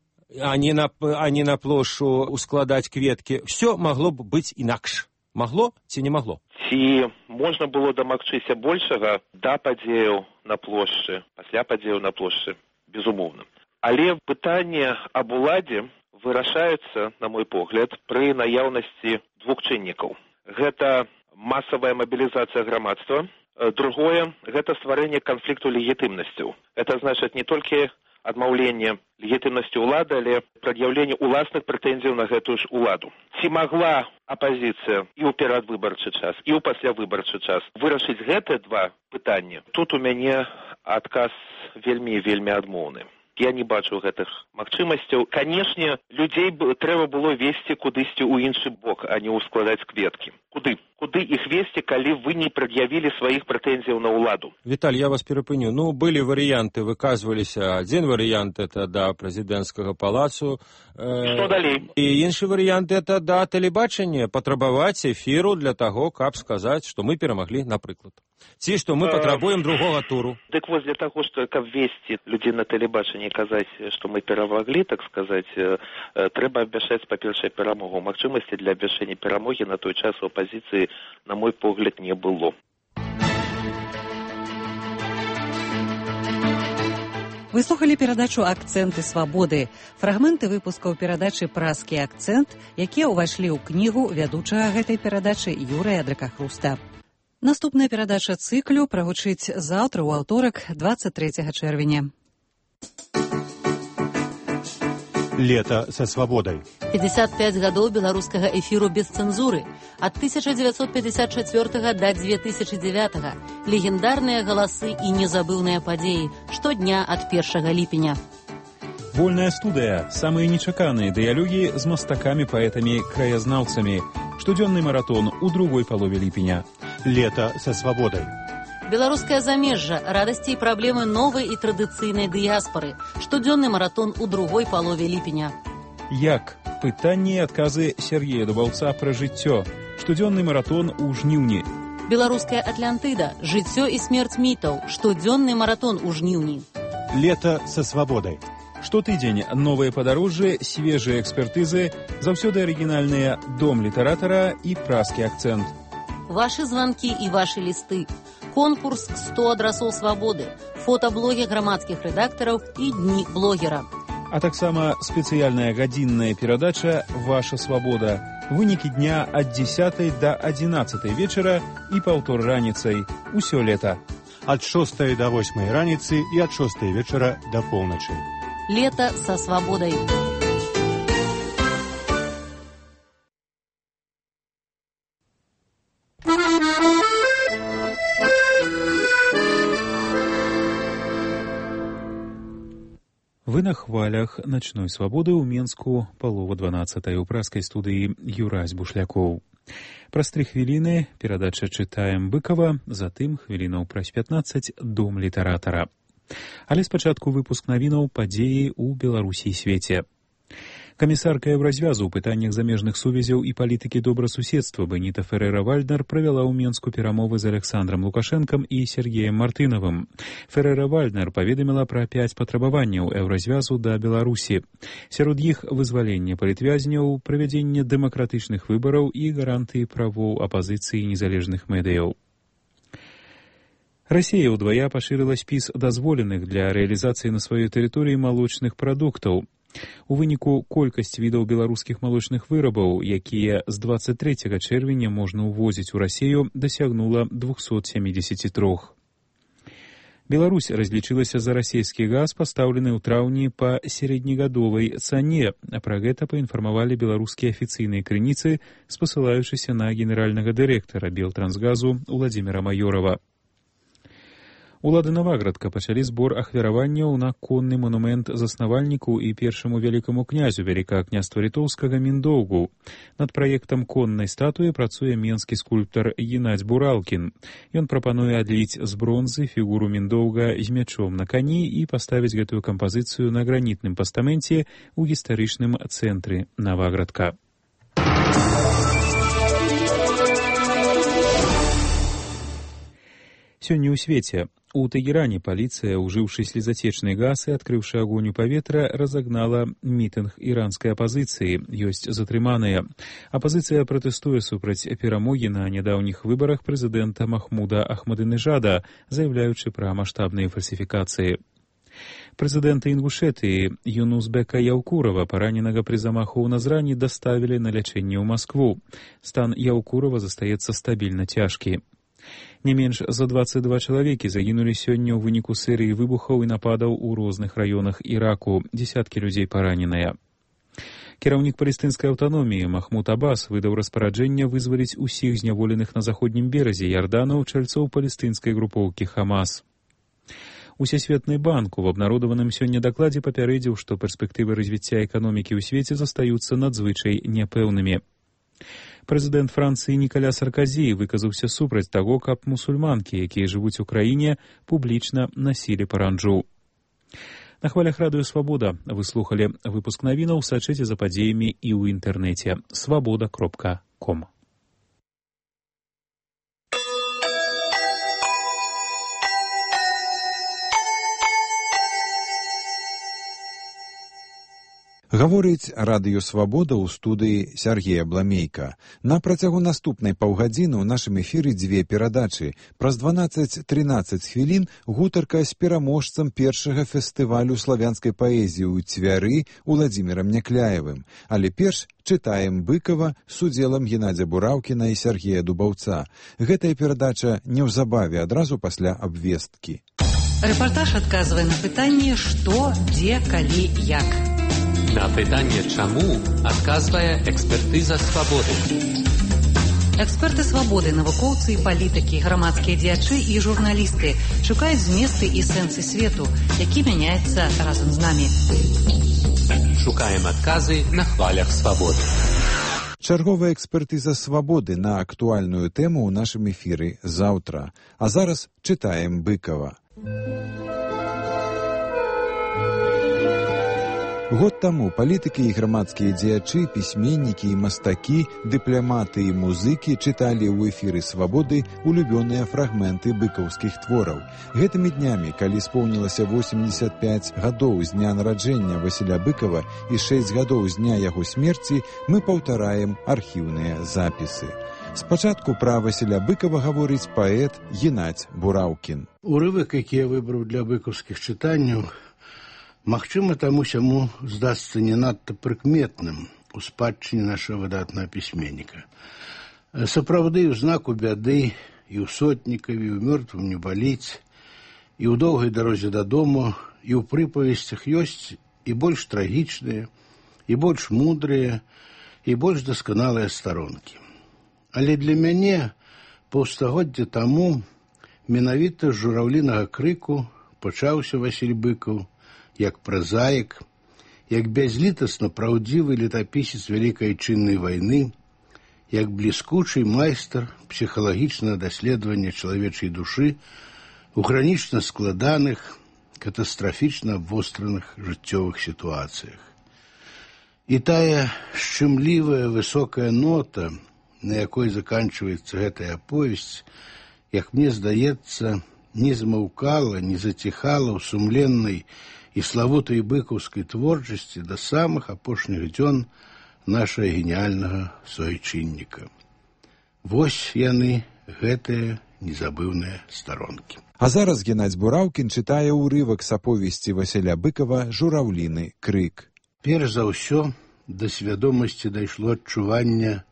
а не на, а не на плошчу ускладаць кветкі, ўсё магло б быць інакш. Магло ці не магло? Ці можна было дамагчыся большага да падзеяў на плошчы, пасля падзеяў на плошчы, безумоўна. Але пытанне аб уладзе вырашаецца, на мой погляд, пры наяўнасці двух чыннікаў. Гэта масавая мабілізацыя грамадства, другое – гэта стварэнне канфлікту легітымнасцяў. Это значыць не толькі адмаўленне легітымнасці ўлады, але прад'яўленне уласных прэтэнзіяў на гэтую ж уладу. Ці магла апазіцыя і ў перадвыбарчы час, і ў паслявыбарчы час вырашыць гэтыя два пытанні? Тут у мяне адказ вельмі-вельмі адмоўны. Я не бачу гэтых магчымасцяў. Канешне, людзей трэба было весці кудысьці ў іншы бок, а не ўскладаць кветкі. Куды? Куды іх весці, калі вы не прад'явілі сваіх прэтэнзіяў на ўладу? Віталь, я вас перапыню. Ну, былі варыянты, выказваліся. Адзін варыянт – это да прэзідэнцкага палацу. Што далей? І іншы варыянт – это да тэлебачання, патрабаваць эфіру для таго, каб сказаць, што мы перамаглі, напрыклад. Ці што мы патрабуем другога туру. Дык вось для таго, што каб весці людзей на тэлебачанні, казаць, што мы перамаглі, так сказаць, трэба абвяшчаць, па-першае, перамогу. Магчымасці для абвяшчэння перамогі на той час у апазіцыі, на мой погляд, не было. Вы слухали перадачу «Акценты свабоды». Фрагменты выпускаў перадачы «Праскі акцэнт», якія ўвайшлі ў кнігу вядучага гэтай перадачы Юрыя Дракахруста. Наступная перадача цыклю прагучыць заўтра ў аўторак, двадцать третьего чэрвеня. Лето со свободой. пятьдесят пять гадоў беларускага эфіру без цэнзуры. Ад тысяча девятьсот пятьдесят четвёртого да две тысячи девятого. Легендарныя галасы і незабыўныя падзеі. Штодня ад першага ліпеня. Вольная студыя. Самыя нечаканыя дыялогі з мастакамі, паэтамі, краязнаўцамі. Штодзённы маратон у другой палове ліпеня. Лето со свободой. Беларускае замежжа, радасці і праблемы новай і традыцыйнай дыяспары. Штодзённы маратон у другой палове ліпеня. Як пытанні і адказы Сергея Дубаўца пра жыццё. Штодзённы маратон у жніўні. Беларуская Атлантыда. Жыццё і смерць мітаў. Штодзённы маратон у жніўні. Лето со свободой. Штотыдзень новыя падарожжы, свежыя экспертызы, заўсёды арыгінальныя дом літаратара і празкі акцэнт. Вашы званкі і вашы лісты. Конкурс сто адрасоў свабоды. Фотаблогі грамадскіх рэдактараў і дні блогера. А таксама спецыяльная гадзінная перадача «Ваша свабода». Вынікі дня ад дзесятай да адзінаццатай вечара і паўтор раніцай. Усё лета. Ад шостай да восьмай раніцы і ад шостай вечара да поўначы. Лето со свободой. Вы на хвалях начной свободы ў Менску, палова дванаццатай у празкай студыі Юрась Бушлякоў. Праз тры хвіліны перадача «Чытаем Быкова», затым хвілінаў праз пятнаццаць «Дом літаратара». Але спачатку выпуск навінаў падзеі ў Беларусі і свеце. Камісарка Еўразвязу ў пытаннях замежных сувязяў і палітыкі добрасуседства Беніта Феррэра-Вальднер правяла ў Менску перамовы з Александром Лукашэнкам і Сергеем Мартынавым. Феррэра-Вальднер паведаміла пра пяць патрабаванняў Еўразвязу да Беларусі. Сярод іх вызваленне палітвязняў, правядзенне дэмакратычных выбараў і гарантыі правоў апазіцыі і незалежных медыяў. Расія ўдвая пашырыла спіс дазволеных для рэалізацыі на сваёй тэрыторыі малочных прадуктаў. У выніку колькасць відаў беларускіх малочных вырабаў, якія з дваццаць трэцяга чэрвеня можна ўвозіць у Расію, дасягнула двухсот семидесяти трёх. Беларусь разлічылася за расійскі газ, пастаўлены ў траўні па сярэднегадовай цане, а пра гэта паінфармавалі беларускія афіцыйныя крыніцы, спасылаючыся на генеральнага дырэктара Белтрансгазу Уладзіміра Маёрова. Улады Наваградка пачалі збор ахвяраванняў на конны манумент заснавальніку і першаму вялікаму князю Вялікага княства Літоўскага Міндоўгу. Над праектам коннай статуі працуе менскі скульптар Геннадзь Буралкін. Ён прапануе адліць з бронзы фігуру Міндоўга з мячом на кані і паставіць гэтую кампазіцыю на гранітным пастаменце ў гістарычным цэнтры Наваградка. Сёння ў свеце. У Тэгеране паліцыя, ужыўшы слезацечны газ і адкрыўшы агонь у паветра, разагнала мітынг іранскай апазіцыі. Ёсць затрыманыя. Апазіцыя пратэстуе супраць перамогі на нядаўніх выбарах прэзідэнта Махмуда Ахмадынежада, заяўляючы пра маштабныя фальсіфікацыі. Прэзідэнта Інгушэтыі Юнусбека Яўкурова, параненага пры замаху ў Назране, даставілі на лячэнне ў Маскву. Стан Яўкурова застаецца стабільна цяжкі. Не менш за дваццаць два чалавекі загінулі сёння ў выніку серыі выбухаў і нападаў у розных раёнах Іраку, дзесяткі людзей параненыя. Кіраўнік палестынскай аўтаноміі Махмуд Аббас выдаў распараджэнне вызваліць усіх зняволеных на заходнім беразе Ярдану чальцоў палестынскай групоўкі Хамас. Усесветны банк у абнародаваным сёння дакладзе папярэдзіў, што перспектывы развіцця эканомікі ў свеце застаюцца надзвычай няпэўнымі. Прэзідэнт Францыі Нікаля Сарказі выказаўся супраць таго, каб мусульманкі, якія жывуць у краіне, публічна насілі паранджу. На хвалях радыё «Свабода» вы слухалі выпуск навінаў, сачыце за падзеямі і ў інтэрнэце свабода кропка ком. Гаворыць радыё «Свабода» ў студыі Сергея Бламейка. На працягу наступнай паўгадзіны ў нашым эфіры дзве перадачы. Праз дванаццаць-трынаццаць хвілін гутарка з пераможцам першага фестывалю славянскай паэзіі ў Цвяры Уладзімірам Някляевым. Але перш чытаем Быкова з удзелам Геннадзя Бураўкіна і Сергея Дубаўца. Гэтая перадача неўзабаве, адразу пасля абвесткі. Рэпартаж адказвае на пытанне «Што, дзе, калі, як». На пытанне «Чаму» адказвае экспертыза «Свабоды». Эксперты «Свабоды», навукоўцы і палітыкі, грамадскія дзеячы і журналісты шукаюць зместы і сэнсы свету, які мяняецца разам з намі. Шукаем адказы на хвалях «Свабоды». Чарговая экспертыза «Свабоды» на актуальную тэму ў нашым эфіры заўтра. А зараз чытаем Быкова. Год таму палітыкі і грамадскія дзеячы, пісьменнікі і мастакі, дыпламаты і музыкі чыталі ў эфіры «Свабоды» улюбёныя фрагменты быкаўскіх твораў. Гэтымі днямі, калі споўнілася восемьдесят пять гадоў з дня нараджэння Васіля Быкава і шэсць гадоў з дня яго смерці, мы паўтараем архіўныя запісы. Спачатку пра Васіля Быкава гаворыць паэт Геннадзь Бураўкін. Урывак, які я выбраў для быкаўскіх чытанняў, магчыма, таму-сяму здасца не надта прыкметным у спадчыне нашага выдатнага пісьменніка. Сапраўды, у знаку бяды і ў сотнікаві, і ў мёртвым не баліць, і ў доўгай дарозе дадому, і ў прыпавесцях ёсць і больш трагічныя, і больш мудрыя, і больш дасканалыя старонкі. Але для мяне паўстагоддзя таму менавіта з жураўлінага крыку пачаўся Васіль Быкаў, як празаік, як бязлітасна праўдзівы летапісец Вялікай Айчыннай вайны, як бліскучы майстар псіхалагічнага даследавання чалавечай душы у гранічна складаных, катастрафічна абвостраных жыццёвых сітуацыях. І тая шчымлівая высокая нота, на якой заканчваецца гэтая аповесць, як мне здаецца, не змаўкала, не заціхала ў сумленнай і славутай быкаўскай творчасці да самых апошніх дзён нашага геніяльнага суайчынніка. Вось яны, гэтыя незабыўныя старонкі. А зараз Геннадзь Бураўкін чытае ўрывак з аповесці Васіля Быкава «Жураўліны крык». Перш за ўсё да свядомасці дайшло адчуванне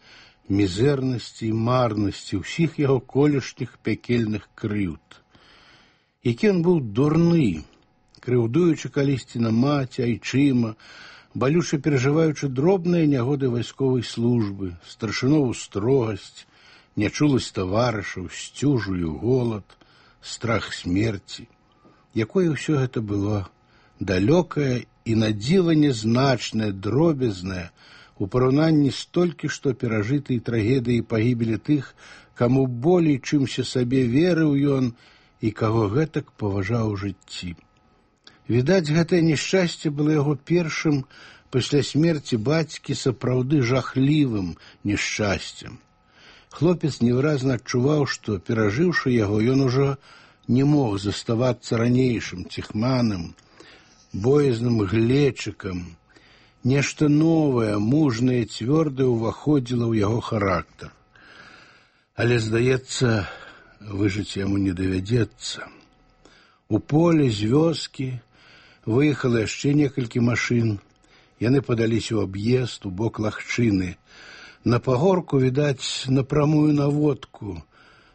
мізэрнасці і марнасці ўсіх яго колішніх пякельных крыўд. Які ён быў дурны, крыўдуючы калісьці на маці, айчыма, балюча перажываючы дробныя нягоды вайсковай службы, старшынову строгасць, нячуласць таварышаў, сцюжу і голад, страх смерці. Якое ўсё гэта было далёкае і надзіва нязначнае, дробязнае, у параўнанні з толькі што перажытай трагедыяй пагібелі тых, каму болей чымся сабе верыў ён і каго гэтак паважаў у жыцці. Відаць, гэтае няшчасце было яго першым пасля смерці бацькі сапраўды жахлівым няшчасцем. Хлопец невыразна адчуваў, што, перажыўшы яго, ён ужо не мог заставацца ранейшым ціхманым, боязным глечыкам. Нешта новае, мужнае, цвёрдае ўваходзіла ў яго характар. Але, здаецца, выжыць яму не давядзецца. У поле з вёскі выехала яшчэ некалькі машын. Яны падаліся ў аб'езд у бок лагчыны. На пагорку, відаць, на прамую наводку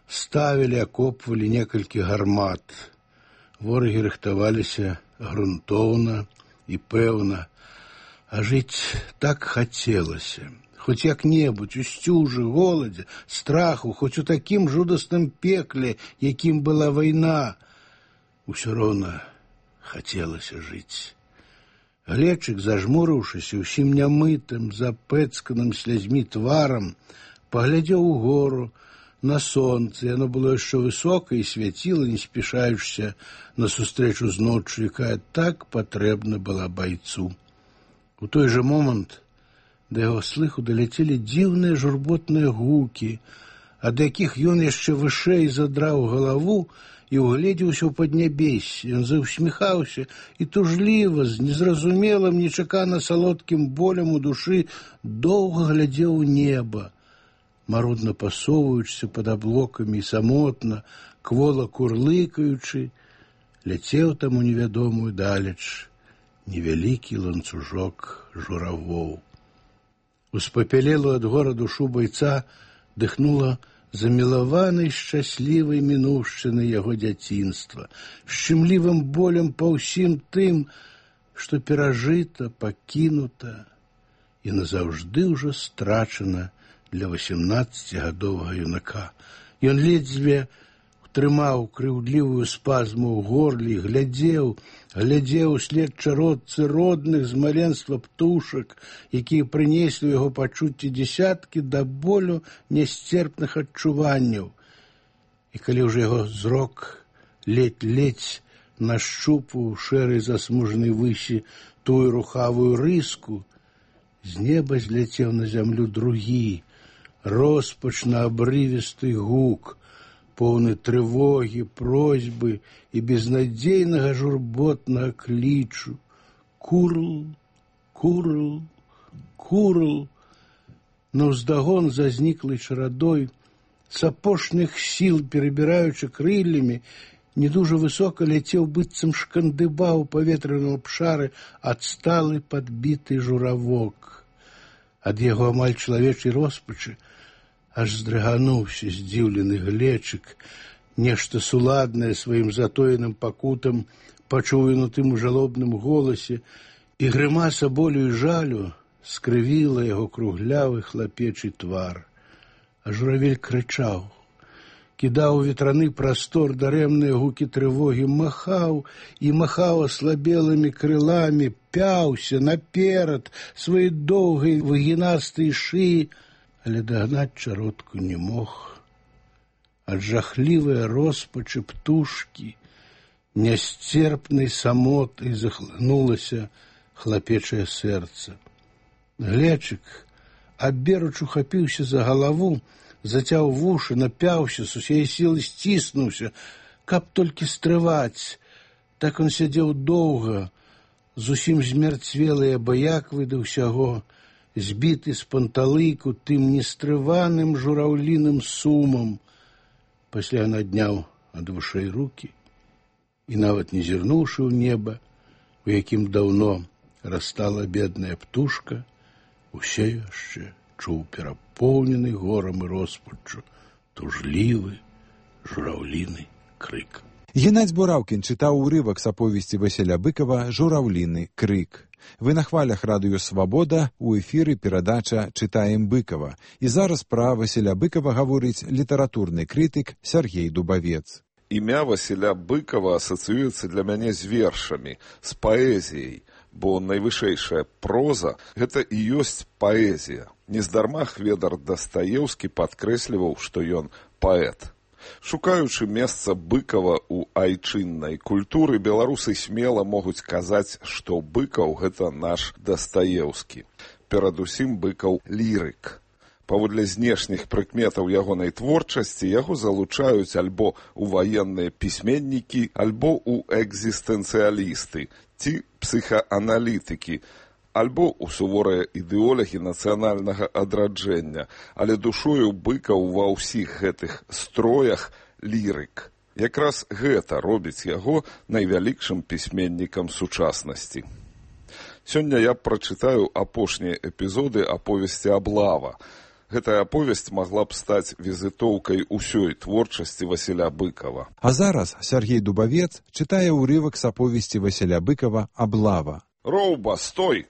ставілі, акопвалі некалькі гармат. Ворагі рыхтаваліся грунтоўна і пэўна. А жыць так хацелася. Хоць як-небудзь у сцюжы, голадзе, страху, хоць у такім жудасным пекле, якім была вайна. Усё роўна хацелася жыць. Глечык, зажмурыўшыся, усім нямытым, запэцканым слязьмі тварам, паглядзеў угору, на сонца. Яно было яшчэ высока і свяціла, не спешаючыся на сустрэчу з ноччу, якая так патрэбна была байцу. У той жа момант да яго слыху даляцелі дзіўныя журботныя гукі, ад якіх ён яшчэ вышэй задраў галаву і угледзеўся ў паднябессе. Ён заўсміхаўся і тужліва, з незразумелым, нечакана салодкім болем у душы, доўга глядзеў у неба, марудна пасоўваючыся пад аблокамі і самотна, квола курлыкаючы, ляцеў там у невядомую далеч невялікі ланцужок журавоў. Успапялелую ад гора душу байца дыхнула замілаванай шчаслівай мінуўшчыны яго дзяцінства, шчымлівым болем па ўсім тым, што перажыта, пакінута і назаўжды ўжо страчана для васемнаццацігадовага юнака. Ён ледзьве трымаў крыўдлівую спазму ў горле, глядзеў, глядзеў услед чародцы родных з маленства птушак, якія прынеслі ў яго пачуцці дзесяткі да болю нясцерпных адчуванняў. І калі ўжо яго зрок ледь-ледь нащупваў шэрай засмужнай высі тую рухавую рыску, з неба зляцеў на зямлю другі, роспачна-абрывісты гук, поўны трывогі, просьбы і безнадзейнага журботнага клічу. Курл, курл, курл. Наўздагон за зніклай чарадой, с апошніх сіл перабіраючы крыллямі, не дужа высока ляцеў, быццам шкандыбаў у паветраным абшары адсталы падбіты журавок. Ад яго амаль чалавечай роспачы аж здрыгануўся здзіўлены глечык, нешта суладнае сваім затоеным пакутам пачуў ён у тым жалобным голасе, і грымаса болю і жалю скрывіла яго круглявы хлапечы твар. А журавель крычаў, кідаў у ветраны прастор дарэмныя гукі трывогі, махаў і махаў аслабелымі крыламі, пяўся наперад сваёй доўгай выгінастай шыі, але дагнаць чародку не мог. Ад жахлівай роспачы птушкі нясцерпнай самотай захлынулася хлапечае сэрца. Глечык, аберуч ухапіўся за галаву, зацяў вушы, напяўся, з усяе сілы сціснуўся, каб толькі стрываць. Так он сядзеў доўга, зусім змярцвелы, абыяквы да ўсяго, збіты з панталыку тым нестрываным жураўліным сумам. Пасля надняў ад вушэй рукі і, нават не зірнуўшы ў неба, у якім даўно растала бедная птушка, усе яшчэ чуў перапоўнены горам і роспаччу тужлівы жураўліны крык. Геннадзь Бураўкін чытаў урывак з аповесці Васіля Быкова «Жураўліны крык». Вы на хвалях радыё «Свабода», у эфіры перадача «Чытаем Быкова». І зараз пра Васіля Быкова гаворыць літаратурны крытык Сяргей Дубавец. Імя Васіля Быкова асацыюецца для мяне з вершамі, з паэзіяй, бо найвышэйшая проза – гэта і ёсць паэзія. Нездарма Хведар Дастаеўскі падкрэсліваў, што ён паэт. Шукаючы месца Быкова ў айчыннай культуры, беларусы смела могуць казаць, што Быкаў – гэта наш Дастаеўскі. Перадусім Быкаў – лірык. Паводле знешніх прыкметаў ягонай творчасці яго залучаюць альбо ў ваенныя пісьменнікі, альбо ў экзістэнцыялісты ці псіхааналітыкі, альбо ў суворыя ідэолагі нацыянальнага адраджэння, але душою Быкаў ва ўсіх гэтых строях лірык. Якраз гэта робіць яго найвялікшым пісьменнікам сучаснасці. Сёння я прачытаю апошнія эпізоды аповесці «Аблава». Гэтая аповесць магла б стаць візітоўкай усёй творчасці Васіля Быкова. А зараз Сяргей Дубавец чытае ўрывак з аповесці Васіля Быкова «Аблава». Роўба, стой!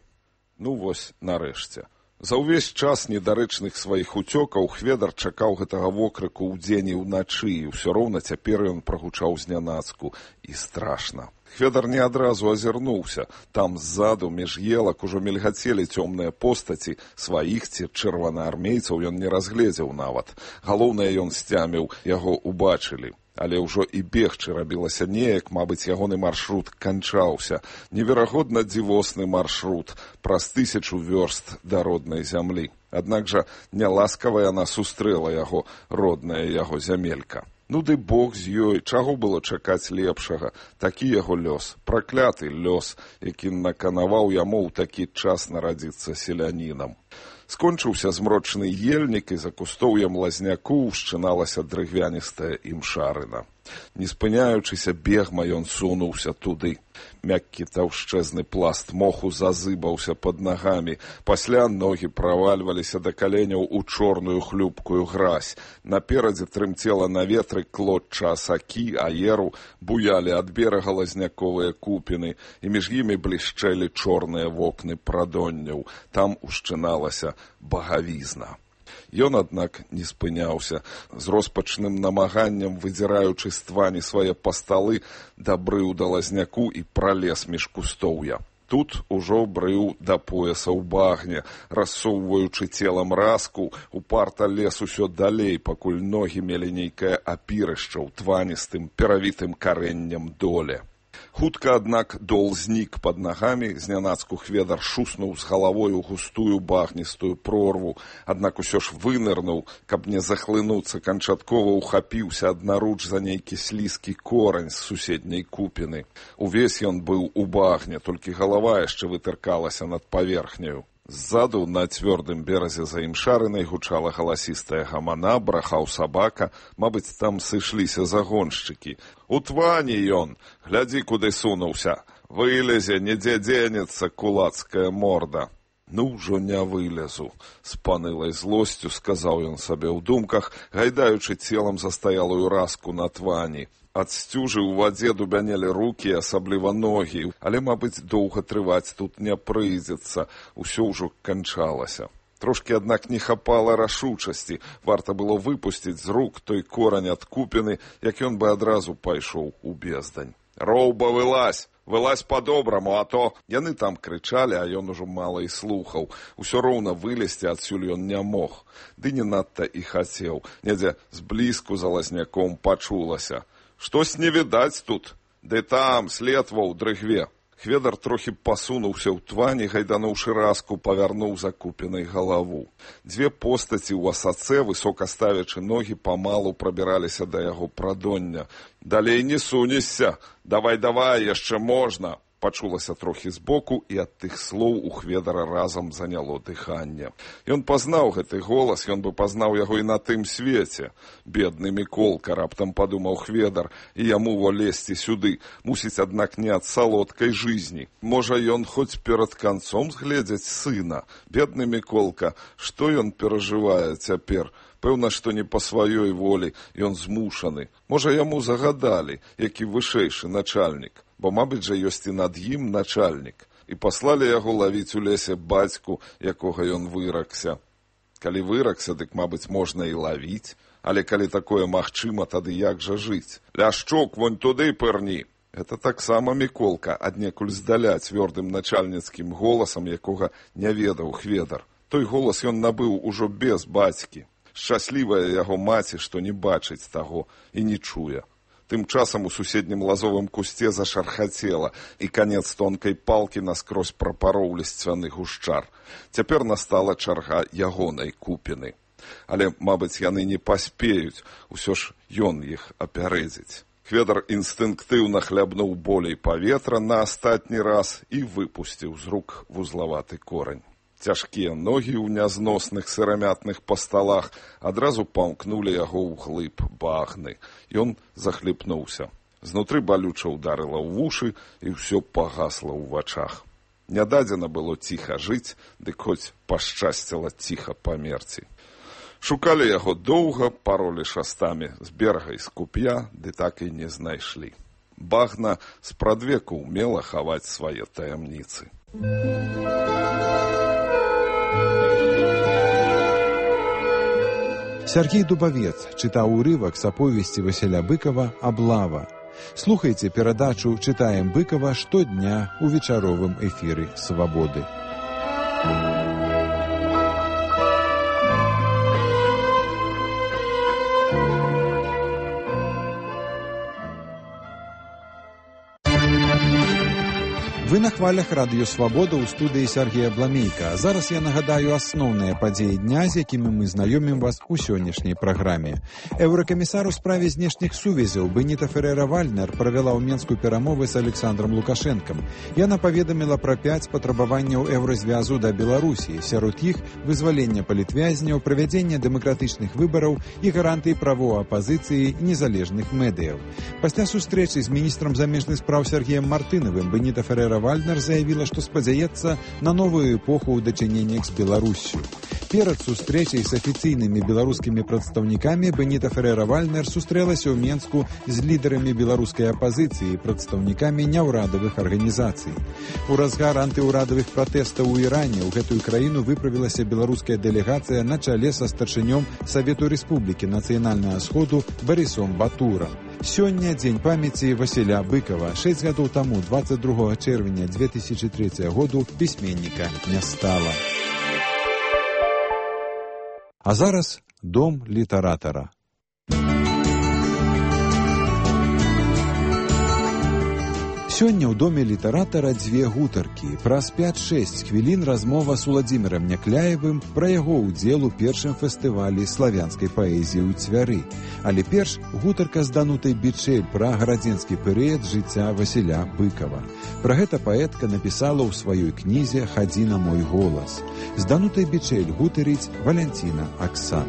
Ну вось, нарэшце. За ўвесь час недарэчных сваіх уцёкаў Хведар чакаў гэтага вокрыку ўдзень і ўначы, і ўсё роўна цяпер ён прагучаў знянацку. І страшна. Хведар не адразу азірнуўся. Там ззаду, між елак, ужо мільгацелі цёмныя постаці, сваіх ці чырванаармейцаў ён не разгледзеў нават. Галоўнае, ён сцяміў, яго убачылі. Але ўжо і бегчы рабілася неяк, мабыць, ягоны маршрут канчаўся. Неверагодна дзівосны маршрут праз тысячу вёрст да роднай зямлі. Аднак жа няласкава яна сустрэла яго, родная яго зямелька. Ну ды Бог з ёй, чаго было чакаць лепшага? Такі яго лёс, пракляты лёс, які наканаваў яму ў такі час нарадзіцца селянінам. Скончыўся змрочны ельнік, і за кустоўем лазняку ўшчыналася дрыгвяністая імшарына. Не спыняючыся бегма, ён сунуўся туды. Мяккі таўшчэзны пласт моху зазыбаўся пад нагамі. Пасля ногі правальваліся да каленяў у чорную хлюпкую гразь. Наперадзе трымцела на ветры клотча асакі, аеру, буялі ад берага лазняковыя купіны, і між імі блішчэлі чорныя вокны прадонняў. Там ушчыналася багавізна. Ён, аднак, не спыняўся. З роспачным намаганнем, выдзіраючы з твані свае пасталы, дабрыў да лазняку і пралез між кустоўя. Тут ужо брыў да пояса ў багне, рассоўваючы целам раску, упарта лез усё далей, пакуль ногі мелі нейкае апірышча ў тваністым, перавітым карэннем доле. Хутка, аднак, дол знік пад нагамі, знянацку хведар шуснуў з галавой у густую багністую прорву, аднак усё ж вынырнуў, каб не захлынуцца, канчаткова ухапіўся аднаруч за нейкі слізкі корань з суседняй купіны. Увесь ён быў у багне, толькі галава яшчэ вытыркалася над паверхняю. Ззаду на цвёрдым беразе за імшарынай гучала галасістая гамана, брахаў сабака, мабыць, там сышліся загоншчыкі. У твані ён, глядзі, куды сунуўся, вылезе, недзе дзенецца кулацкая морда. Ну, ўжо не вылезу, з панылай злосцю сказаў ён сабе ў думках, гайдаючы целам застаялую раску на твані. Ад сцюжы ў вадзе дубянелі рукі, асабліва ногі, але, мабыць, доўга трываць тут не прыйдзецца, усё ўжо канчалася. Трошкі, аднак, не хапала рашучасці, варта было выпусціць з рук той корань ад купіны, як ён бы адразу пайшоў у бездань. «Роўба, вылазь! Вылазь па-добраму, а то...» Яны там крычалі, а ён ужо мала і слухаў. Усё роўна вылезці адсюль ён не мог. Ды не надта і хацеў. Недзе зблізку за лазняком пачулася. «Штось не відаць тут, ды там, следва ў дрыгве». Хведар трохі пасунуўся ў твані, гайдануўшы раску, павярнуў закупенай галаву. Дзве постаці ў асацэ, высока ставячы ногі, памалу прабіраліся да яго прадоння. «Далей не сунешся! Давай-давай, яшчэ можна!» Пачулася трохі збоку, і ад тых слоў у хведара разам заняло дыханне. Ён пазнаў гэты голас, ён бы пазнаў яго і на тым свеце. Бедны Міколка, раптам падумаў хведар, і яму во лезці сюды. Мусіць, аднак, не ад салодкай жизни. Можа, ён хоць перад канцом згледзець сына. Бедны Міколка, што ён перажывае цяпер? Пэўна, што не па сваёй волі, ён змушаны. Можа, яму загадалі, які вышэйшы начальнік. Бо, мабыць жа, ёсць і над ім начальнік. І паслалі яго лавіць у лесе бацьку, якога ён выракся. Калі выракся, дык, мабыць, можна і лавіць. Але калі такое магчыма, тады як жа жыць? «Ляшчук, вонь туды пырні!» Гэта таксама Міколка, аднекуль здаля цвёрдым начальніцкім голасам, якога не ведаў хведар. Той голас ён набыў ужо без бацькі. Шчаслівая яго маці, што не бачыць таго і не чуе. Тым часам у суседнім лазовым кусце зашархацела, і канец тонкай палкі наскрозь прапароў лісцвяны гушчар. Цяпер настала чарга ягонай купіны. Але, мабыць, яны не паспеюць, усё ж ён іх апярэдзіць. Хведар інстынктыўна хлябнуў болей паветра на астатні раз і выпусціў з рук вузлаваты корань. Цяжкія ногі ў нязносных сырамятных пасталах адразу памкнулі яго ў глыб багны. Ён захліпнуўся. Знутры балюча ўдарыла ў вушы, і ўсё пагасла ў вачах. Нядадзена было ціха жыць, дык хоць пашчасціла ціха памерці. Шукалі яго доўга, паролі шастамі з берага і з куп'я, ды так і не знайшлі. Багна спрадвеку ўмела хаваць свае таямніцы. Сергей Дубавец чытаў урывак з аповесці Васіля Быкова «Аблава». Слухайце перадачу «Чытаем Быкова» штодня у вечаровым эфіры «Свабоды». Вы на хвалях радыё «Свабода» ў студыі Сергея Бламейка. Зараз я нагадаю асноўныя падзеі дня, з якімі мы знаёмім вас у сённяшняй праграме. Еўракамісар у справе знешніх сувязяў Беніта Ферера-Вальнер правяла ў Менску перамовы з Александром Лукашэнкам. Яна паведаміла пра пяць патрабаванняў еўразвязу да Беларусі. Сярод іх вызвалення палітвязняў, правядзення дэмакратычных выбараў і гарантыі правоў апазіцыі незалежных медыяў. Пасля сустрэчы з міністрам замежных спраў Сергеем Мартынавым Беніта Ферера Вальнер заявила, што спадзяецца на новую эпоху ў дачыненнях з Беларуссю. Перад сустрэчай з афіцыйнымі беларускімі прадстаўнікамі Беніта Ферера-Вальнер сустрэлася ў Менску з лідарамі беларускай апазіцыі і прадстаўнікамі няўрадавых арганізацый. У разгар антыўрадавых пратэстаў у Іране ў гэтую краіну выправілася беларуская дэлегацыя на чале са старшынём Савету Рэспублікі Нацыянальнага Сходу Барысом Батурам. Сёння дзень памяці Васіля Быкова. Шэсць гадоў таму, дваццаць другога чэрвеня дзве тысячы трэцяга году, пісьменніка не стала. А зараз дом літаратара. Сёння ў доме літаратара дзве гутаркі. Праз пяць-шэсць хвілін размова з Уладзімірам Някляевым пра яго ўдзел у першым фестывалі славянскай паэзіі ў Цвяры. Але перш гутарка з Данутай Бичэль пра гарадзенскі перыяд жыцця Васіля Быкава. Пра гэта паэтка напісала ў сваёй кнізе «Хадзі на мой голас». З Данутай Бичэль гутарыць Валянціна Аксак.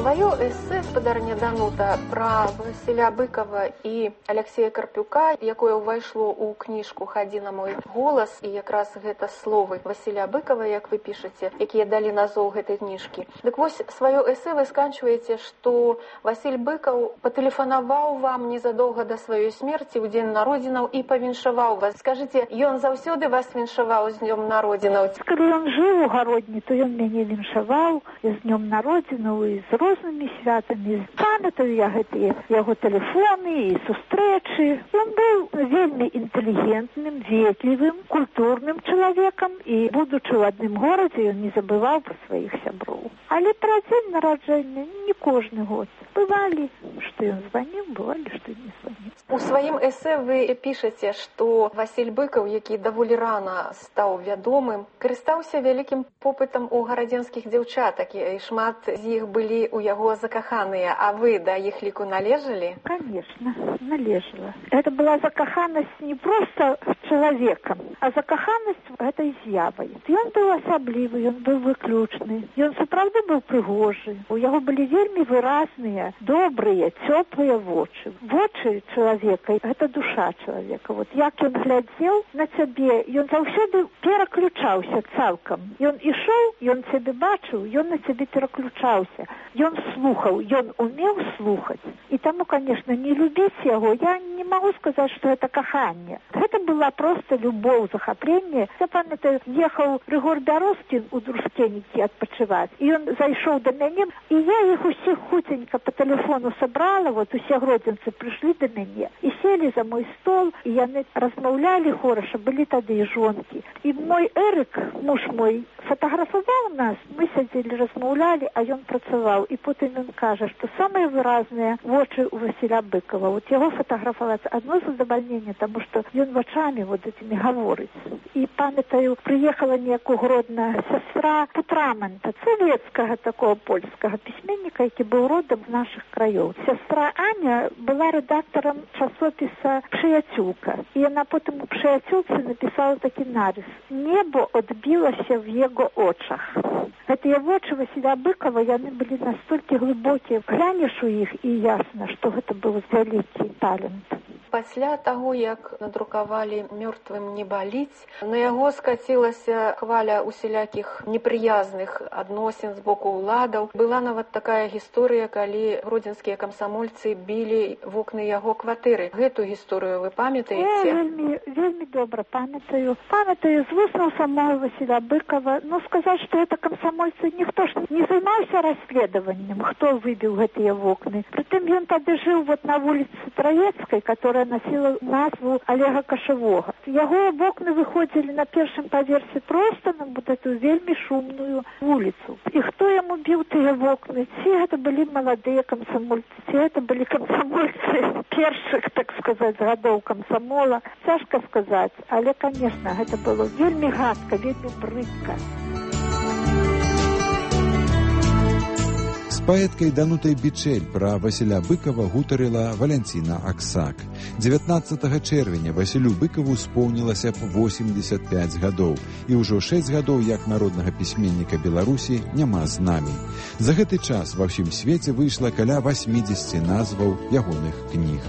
Свое эссе спадарня Данута пра Васіля Быкава і Аляксея Карпюка, якое ўвайшло ў кніжку «Хадзі на мой голас», і якраз гэта словы Васіля Быкава, як вы пішаце, якія далі назоў гэтай кніжкі. Дык вось сваё эссе вы сканчваеце, што Васіль Быкаў патэлефанаваў вам незадоўга да сваёй смерці ў дзень народзінаў і павіншаваў вас. Скажыце, ён заўсёды вас віншаваў з днём народзінаў? Калі ён жыў у гародні, то ён мяне віншаваў з днём народзінаў і з рознымі святамі. Памятаю я гэтыя яго тэлефоны і сустрэчы. Ён быў вельмі інтэлігентным, ветлівым, культурным чалавекам і, будучы ў адным горадзе, ён не забываў пра сваіх сяброў. Але пра дзень нараджэння не кожны год. Бывалі, што ён званіў, бывалі, што не званіў. У сваім эссе вы пішаце, што Васіль Быкаў, які даволі рана стаў вядомым, карыстаўся вялікім попытам у гарадзенскіх дзяўчатак, і шмат з іх былі ў яго закаханыя, а вы да іх ліку належалі? Конечно, належала. Это была закаханасць не проста чалавекам, а закаханасць гэтай з'явай. Ён быў асаблівы, ён быў выключны, ён сапраўды быў прыгожы. У яго былі вельмі выразныя, добрыя, цёплыя вочы. Вочы чалавека — гэта душа чалавека. Вот як ён глядзеў на цябе, ён заўсёды пераключаўся цалкам. Ён ішоў, ён цябе бачыў, ён на цябе пераключаўся. Ён слухаў, ён умеў слухаць. І таму, конечно, не любіць яго, я не магу сказаць, што гэта каханне. Гэта была проста любоў, захапленне. Я памятаю, ехаў Рыгор Бярозкін у Друскенікі адпачываць, і ён зайшоў да мяне, і я іх усіх хуценька па тэлефону сабрала, вот усе гродзенцы прыйшлі да мяне і селі за мой стол, і яны размаўлялі хораша, былі тады і жонкі. І мой Эрык, муж мой, фатаграфаваў нас, мы сядзелі, размаўлялі, а ён працаваў. І потым ён кажа, што самыя выразныя вочы у Васіля Быкава. Вот яго фатаграфаваць адно задавальненне, таму што ён вачамі вот этими гаворыць. І памятаю, прыехала неяк у Гродна сястра Путраманта, савецкага такого польскага пісьменніка, які быў родам з нашых краёў. Сястра Аня была рэдактарам часопіса «Прыяцюлка». І яна потым у «Прыяцюлцы» напісала такі нарыс: «Небо адбілася в яго очах». Гэтыя вочы Васіля Быкава, яны былі настолькі глыбокія. Глянеш у іх, і ясна, што гэта быў вялікі талент. Пасля таго, як надрукавалі «Мёртвым не баліць», на яго скацілася хваля усялякіх непрыязных адносін з боку ўладаў. Была нават такая гісторыя, калі гродзенскія камсамольцы білі вокны яго кватэры. Гэту гісторыю вы памятаеце? Я вельмі, вельмі добра памятаю. Памятаю з вуснаў самого Васіля Быкава. Ну, сказаць, што гэта камсамольцы, ніхто ж не займаўся расследаваннем, хто выбіў гэтыя вокны. Прытым ён тады жыў вот на вуліцы Траецкай, которая носила назву Олега Кашевога. Яго вокны выходзілі на першым паверсе проста на вот эту вельмі шумную вуліцу. І хто яму біў тыя вокны? Ці гэта былі маладыя камсамольцы, ці гэта былі камсамольцы першых, так сказаць, гадоў камсамола. Цяжка сказаць, але, конечно, гэта было вельмі гадка, вельмі брыдка. З паэткай Данутай Бичэль пра Васіля Быкава гутарыла Валянціна Аксак. дзевятнаццатага чэрвеня Васілю Быкаву споўнілася б восемьдесят пять гадоў, і ўжо шэсць гадоў як народнага пісьменніка Беларусі няма з намі. За гэты час ва ўсім свеце выйшла каля восьмидесяти назваў ягоных кніг.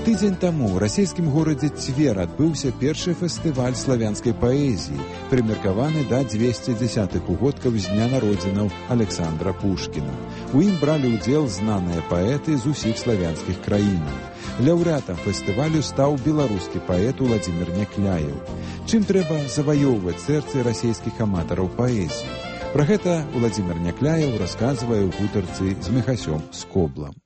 Тыдзень таму ў расійскім горадзе Цвер адбыўся першы фестываль славянскай паэзіі, прымеркаваны да дзвесцідзясятых угодкаў з дня народзінаў Александра Пушкіна. У ім бралі ўдзел знаныя паэты з усіх славянскіх краінаў. Лаўрэатам фестывалю стаў беларускі паэт Уладзімір Някляеў. Чым трэба заваёўваць сэрцы расійскіх аматараў паэзіі? Пра гэта Уладзімір Някляеў расказвае ў гутарцы з Міхасём Скоблам.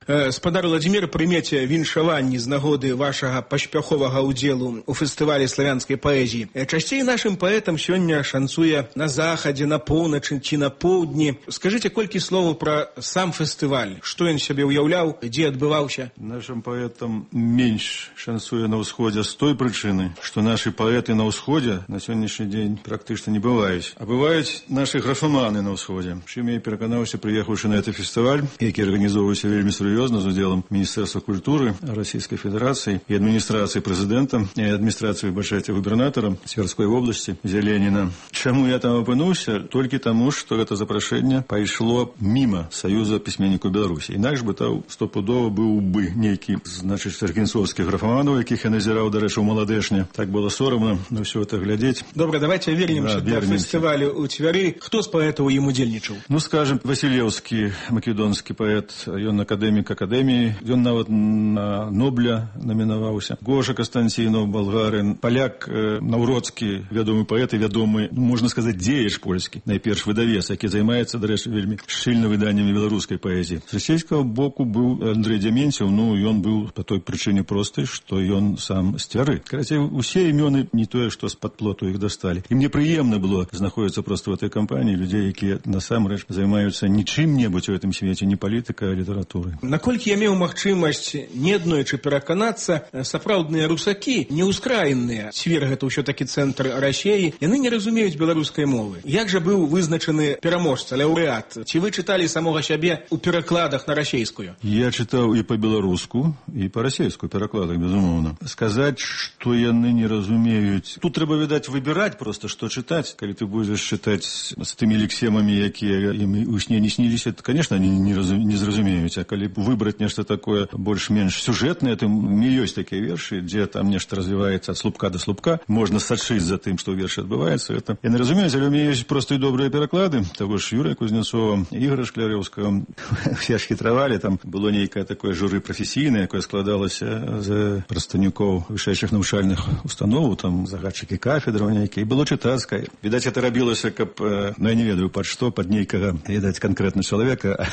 Спадар Владзімір, прымеце віншаванні з нагоды вашага паспяховага ўдзелу ў фестывалі славянскай паэзіі. Часцей нашым паэтам сёння шанцуе на захадзе, на поўначы ці на поўдні. Скажыце колькі словаў пра сам фестываль. Што ён сябе ўяўляў, дзе адбываўся? Нашим поэтам менш шансуе на ўсходзе з той прычыны, што нашы паэты на ўсходзе на сённяшні дзень практычна не бываюць. А бываюць нашы графаманы на ўсходзе. Чым я пераканаўся, прыехаўшы на гэты фестываль, які арганізоўваўся вельмі сур'ёзна з удзелам Міністэрства культуры Расійскай Федэрацыі і адміністрацыі прэзідэнта і адміністрацыі, бачайце, губернатара Цверской вобласці Зеленіна. Чаму я там апынуўся? Толькі таму, што гэта запрашэнне пайшло міма Саюза пісьменнікаў Беларусі. Інакш бы там стопудова быў бы нейкі, значыць, аргенцоўскіх графаманаў, якіх я назіраў, дарэчы, у маладэшне. Так было сорамна на ўсё это глядзець. Добра, давайте вернемся да, да фестывалю ў Цвяры. Хто з паэтаў ім удзельнічаў? Ну, скажем, Васілеўскі, македонскі паэт, ён акадэмік акадэміі, ён нават на Нобля намінаваўся. Гоша Кастанцінаў, балгарин, паляк э, Наўроцкі, вядомы паэт і вядомы, ну, можна сказаць, дзеяч польскі, найперш выдавец, які займаецца, дарэчы, вельмі шчыльна выданнямі беларускай паэзіі. З расійскага боку быў Андрэй Дзяменцеў, ну, ён быў па той прычыне простай, што ён сам з Цвяры. Карацей, усе імёны не тое, што з-пад плоту іх дасталі. І мне прыемна было знаходзіцца проста в этой кампаніі людзей, якія насамрэч займаюцца не чым-небудзь у гэтым свеце, не палітыкай, а літаратурай. Наколькі я меў магчымасць неаднойчы пераканацца, сапраўдныя русакі, неўскраінныя, Цвер гэта ўсё такі цэнтр Расіі, яны не разумеюць беларускай мовы. Як жа быў вызначаны пераможца, лаўрэат? Ці вы чыталі самога сябе ў перакладах на расейскую? Я чытаў і па-беларуску, і па-расейскую перакладах, безумоўна. Сказаць, што яны не разумеюць. Тут трэба, відаць, выбіраць проста, што чытаць. Калі ты будзеш чытаць з тымі лексемамі, якія ім у сне не сніліся, то, конечно, они не, разум... не зразумеюць. А калі выбраць нешта такое больш-менш сюжэтнае, то ёсць такія вершы, дзе там нешта развіваецца ад слупка да слупка, можна сачыць за тым, што ў вершы адбываецца. Это... Я не разумеюць, але у мяне ёсць проста і добрыя пераклады. Таго ж Юрыя Кузнецова, Ігора Шклярэўскага. Все ж хітравалі, там было нейкае такое журы прафесійнае, якое складалася з прадстаўнікоў вышэйшых навучальных установаў, там загадчыкі кафедраў нейкія, і было чытацкае. Відаць, это рабілася, каб, ну, я не ведаю, пад што, пад нейкага, відаць, канкрэтна чалавека,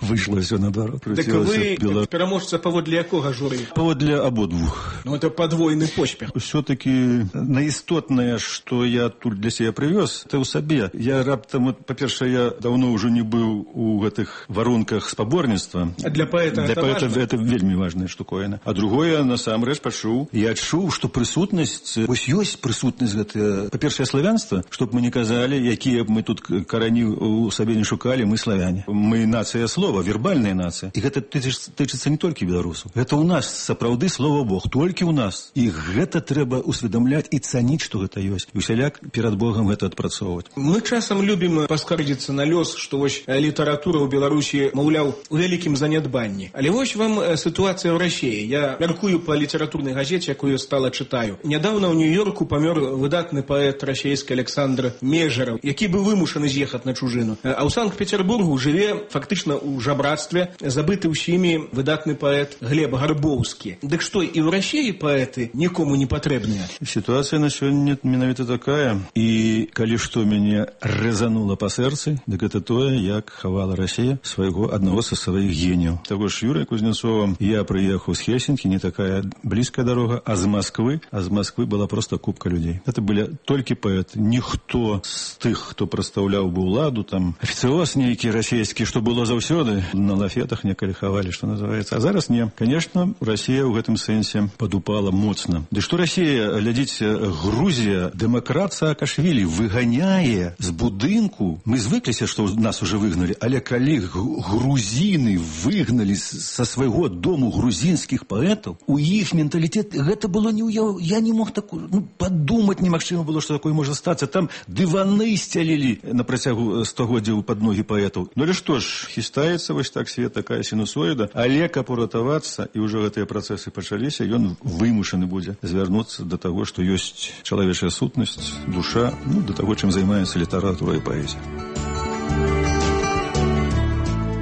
выйшло все наоборот. Так вы бело... пераможца паводле якога журы? Паводле абодвух. Ну, это подвойны поспех. Все-таки наістотнае, што я тут для себе прывёз, это ў сабе. Я раптам, па-першае, я давно ўжо не быў у гэтых варунках спаборніцтва. А для паэта для это паэта важно? Это вельмі важная штуковина. А другое, насамрэч, пачуў. Я адчуў, што прысутнасць, вось ёсць прысутнасць гэта, па-першае, славянства, чтоб мы не казалі, якія б мы тут карані у сабе не шукалі, мы славяне. Мы нацыя слова, вербальная нацыя. І гэта тычыцца не толькі беларусаў. Гэта ў нас сапраўды слова Бог, толькі ў нас. І гэта трэба усведамляць і цаніць, што гэта ёсць. І усяляк перад Богам гэта адпрацоўваць. Мы часам любім паскардзіцца на лёс, што вось літаратура ў Беларусі, маўляў, у вялікім занядбанні. Але вось вам сітуацыя ў Расіі. Я мяркую па літаратурнай газеце, якую стала чытаю. Нядаўна ў Нью-Йорку памёр выдатны паэт расійскі Александр Межараў, які быў вымушаны з'ехаць на чужыну. А ў Санкт-Петербургу жыве фактычна у жабрацтве, забыты ўсімі выдатны паэт Глеб Гарбоўскі. Дык што, і ў Расіі паэты нікому не патрэбныя? Сітуацыя на сёння менавіта такая. І калі што мяне рэзанула па сэрцы, дык гэта тое, як хавала Расія свайго аднаго са сваіх геніяў. Таго ж Юрыя Кузнецова, я прыехаў з Хельсінкі, не такая блізкая дарога, а з Масквы, а з Масквы была проста купка людзей. Это былі толькі паэты. Ніхто з тых, хто прадстаўляў бы ўладу, там афіцыоз нейкі расійскі, што было заўсёды, на лафетах некалі хавалі, што называецца. А зараз не. Конечно, Расія ў гэтым сэнсе падупала моцна. Ды што Расія, глядзіце, Грузія, дэмакрат Саакашвілі выганяе з будынку. Мы звыкліся, што нас уже выгналі, але калі грузіны выгналі са свайго дому грузінскіх паэтаў, у іх менталітэт гэта было не ўяў. Я не мог такую, ну, падумаць немагчыма было, што такое можа стацца. Там дываны сцялілі на працягу стагоддзяў пад ногі паэтаў. Ну, але што ж, хістаецца вось так свет, такая сінусоіда, але каб уратавацца, і ўжо гэтыя працэсы пачаліся, ён вымушаны будзе звярнуцца да таго, што ёсць чалавечая сутнасць, душа, ну, да таго, чым займаецца літаратура і паэзія.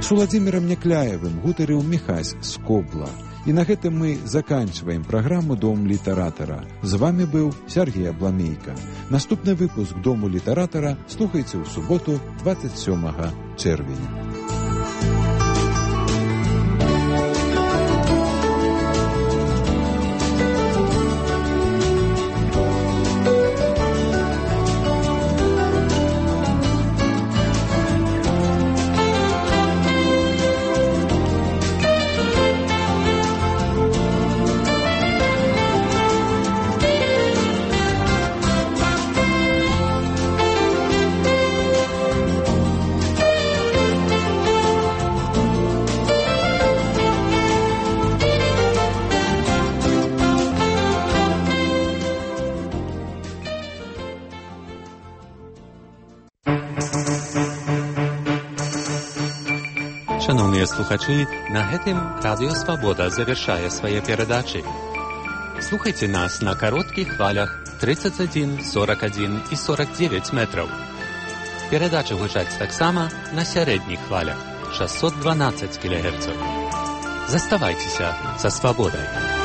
С Уладзімірам Някляевым гутарыў Міхась з Кобла. І на гэтым мы заканчваем праграму «Дом літаратара». З вами быў Сергей Абламейка. Наступны выпуск «Дому літаратара» слухайце ў суботу, двадцать сёмага чэрвеня. Шановныя слухачы, на гэтым Радыё Свабода завяршае свае перадачы. Слухайце нас на кароткіх хвалях тридцать один, сорок один і сорок девять метраў. Перадачы гучаць таксама на сярэдніх хвалях шестьсот двенадцать кілогерцаў. Заставайцеся са свабодай.